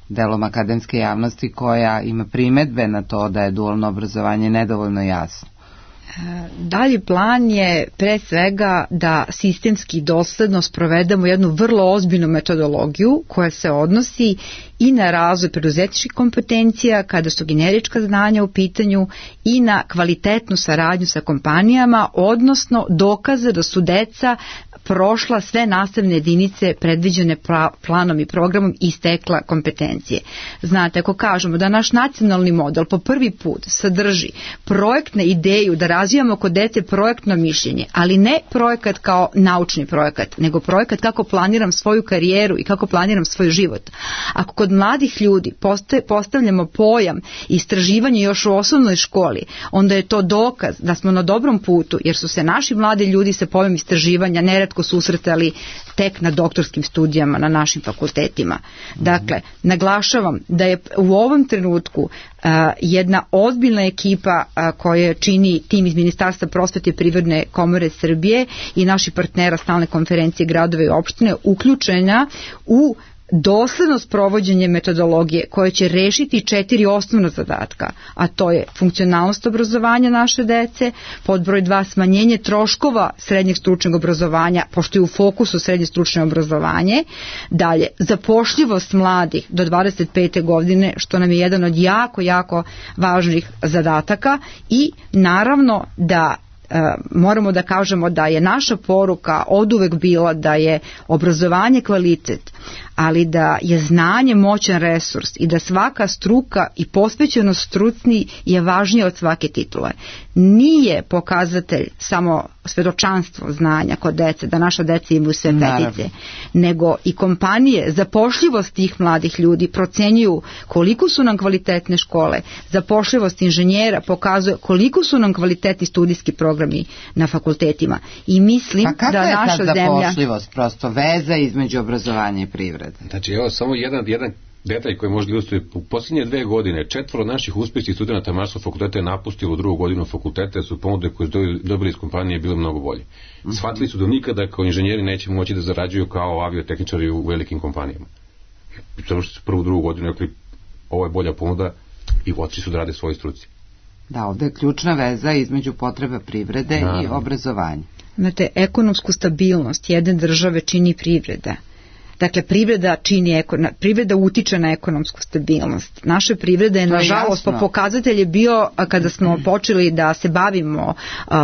delom akademske javnosti koja ima primedbe na to da je dualno obrazovanje nedovoljno jasno? Dalji plan je pre svega da sistemski dosledno sprovedemo jednu vrlo ozbiljnu metodologiju koja se odnosi i na razvoj preduzetničkih kompetencija kada su generička znanja u pitanju i na kvalitetnu saradnju sa kompanijama, odnosno dokaze da su deca prošla sve nastavne jedinice predviđene planom i programom i stekla kompetencije. Znate, ako kažemo da naš nacionalni model po prvi put sadrži projektne ideju da razvijamo kod dece projektno mišljenje, ali ne projekat kao naučni projekat, nego projekat kako planiram svoju karijeru i kako planiram svoj život. Ako kod mladih ljudi postavljamo pojam istraživanja još u osnovnoj školi, onda je to dokaz da smo na dobrom putu, jer su se naši mladi ljudi sa pojmom istraživanja neretko susretali tek na doktorskim studijama na našim fakultetima. Dakle, naglašavam da je u ovom trenutku jedna ozbiljna ekipa koja čini tim iz Ministarstva prosvete i Privredne komore Srbije i naši partnera Stalne konferencije gradova i opštine uključena u dosledno sprovođenje metodologije koje će rešiti 4 osnovna zadatka, a to je funkcionalnost obrazovanja naše dece, pod broj 2 smanjenje troškova srednjeg stručnog obrazovanja, pošto je u fokusu srednje stručno obrazovanje, dalje zapošljivost mladih do 25. godine, što nam je jedan od jako važnih zadataka, i naravno da moramo da kažemo da je naša poruka oduvek bila da je obrazovanje kvalitet, ali da je znanje moćan resurs i da svaka struka i posvećenost struci je važnija od svake titule. Nije pokazatelj samo svedočanstvo znanja kod dece, da naša deca imaju sve petice, nego i kompanije, zapošljivost tih mladih ljudi procenjuju koliko su nam kvalitetne škole, zapošljivost inženjera pokazuje koliko su nam kvalitetni studijski programi na fakultetima. I mislim da naša zemlja... Kakva je ta zapošljivost, prosto veza između obrazovanja i privrede? Znači, evo, samo jedan detalj koji možda ilustruje. U posljednje 2 godine 4 naših uspješnih studenta Mašinskog fakulteta je napustilo 2. godinu fakulteta, jer su ponude koje su dobili iz kompanije bile mnogo bolje. Shvatili su da nikada kao inženjeri neće moći da zarađuju kao aviotehničari u velikim kompanijama. Zato što su 1. 2. godinu rekli, ovo je bolja ponuda, i otišli su da rade svoje struci. Da, ovdje je ključna veza između potreba privrede i obrazovanja. Znate, ekonomsku stabilnost jedne države čini privreda. Dakle, privreda utiče na ekonomsku stabilnost. Naša privreda je, nažalost, po pokazatelj je bio, kada smo počeli da se bavimo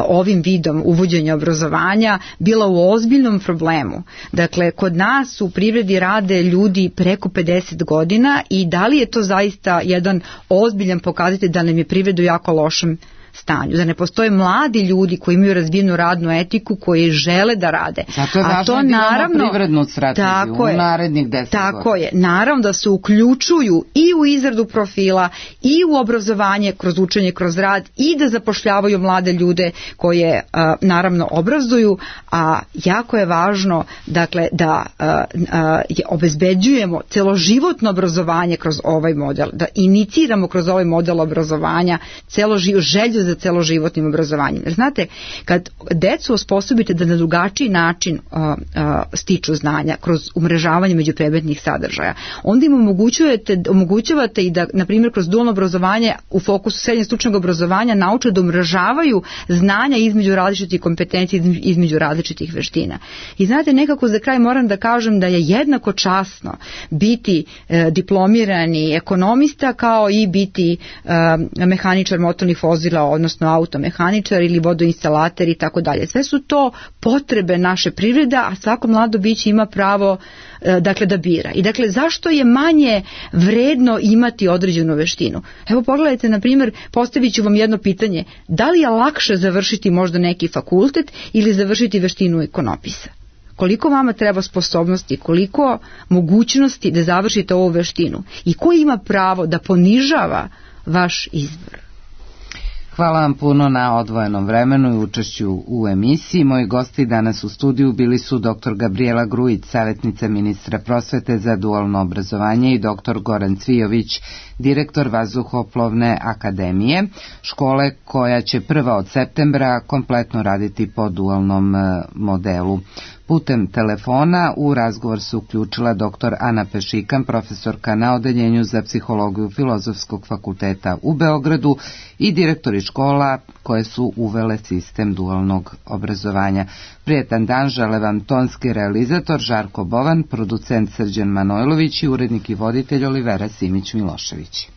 ovim vidom uvođenja obrazovanja, bila u ozbiljnom problemu. Dakle, kod nas u privredi rade ljudi preko 50 godina i da li je to zaista jedan ozbiljan pokazatelj da nam je privreda u jako lošem stanju, da ne postoje mladi ljudi koji imaju razvijenu radnu etiku, koji žele da rade. Zato je važno da imamo privrednu strategiju u narednih 10 godina. Tako je, naravno da se uključuju i u izradu profila i u obrazovanje kroz učenje, kroz rad, i da zapošljavaju mlade ljude koje naravno obrazuju, a jako je važno, dakle, da obezbeđujemo celoživotno obrazovanje kroz ovaj model, da iniciramo kroz ovaj model obrazovanja želju za celoživotnim obrazovanjem. Jer znate, kad decu osposobite da na drugačiji način stiču znanja kroz umrežavanje međupredmetnih sadržaja, onda im omogućavate i da, na primjer, kroz dualno obrazovanje u fokusu srednjeg stručnog obrazovanja nauče da umrežavaju znanja između različitih kompetencija, između različitih veština. I znate, nekako za kraj moram da kažem da je jednako časno biti diplomirani ekonomista kao i biti mehaničar motornih vozila, odnosno automehaničar ili vodoinstalater i tako dalje. Sve su to potrebe naše privrede, a svako mlado biće ima pravo da bira. I dakle, zašto je manje vredno imati određenu veštinu? Evo, pogledajte, na primjer, postavit ću vam jedno pitanje. Da li je lakše završiti možda neki fakultet ili završiti veštinu ekonomista? koliko vama treba sposobnosti, koliko mogućnosti da završite ovu veštinu i ko ima pravo da ponižava vaš izbor. Hvala vam puno na odvojenom vremenu i učešću u emisiji. Moji gosti danas u studiju bili su dr. Gabrijela Grujić, savjetnica ministra prosvete za dualno obrazovanje, i dr. Goran Cvijović, direktor Vazduhoplovne akademije, škole koja će prva od septembra kompletno raditi po dualnom modelu. Putem telefona u razgovor se uključila dr. Ana Pešikan, profesorka na Odeljenju za psihologiju Filozofskog fakulteta u Beogradu, i direktori škola koje su uvele sistem dualnog obrazovanja. Prijetan dan žele vam tonski realizator Žarko Bovan, producent Srđan Manojlović i urednik i voditelj Olivera Simić Milošević.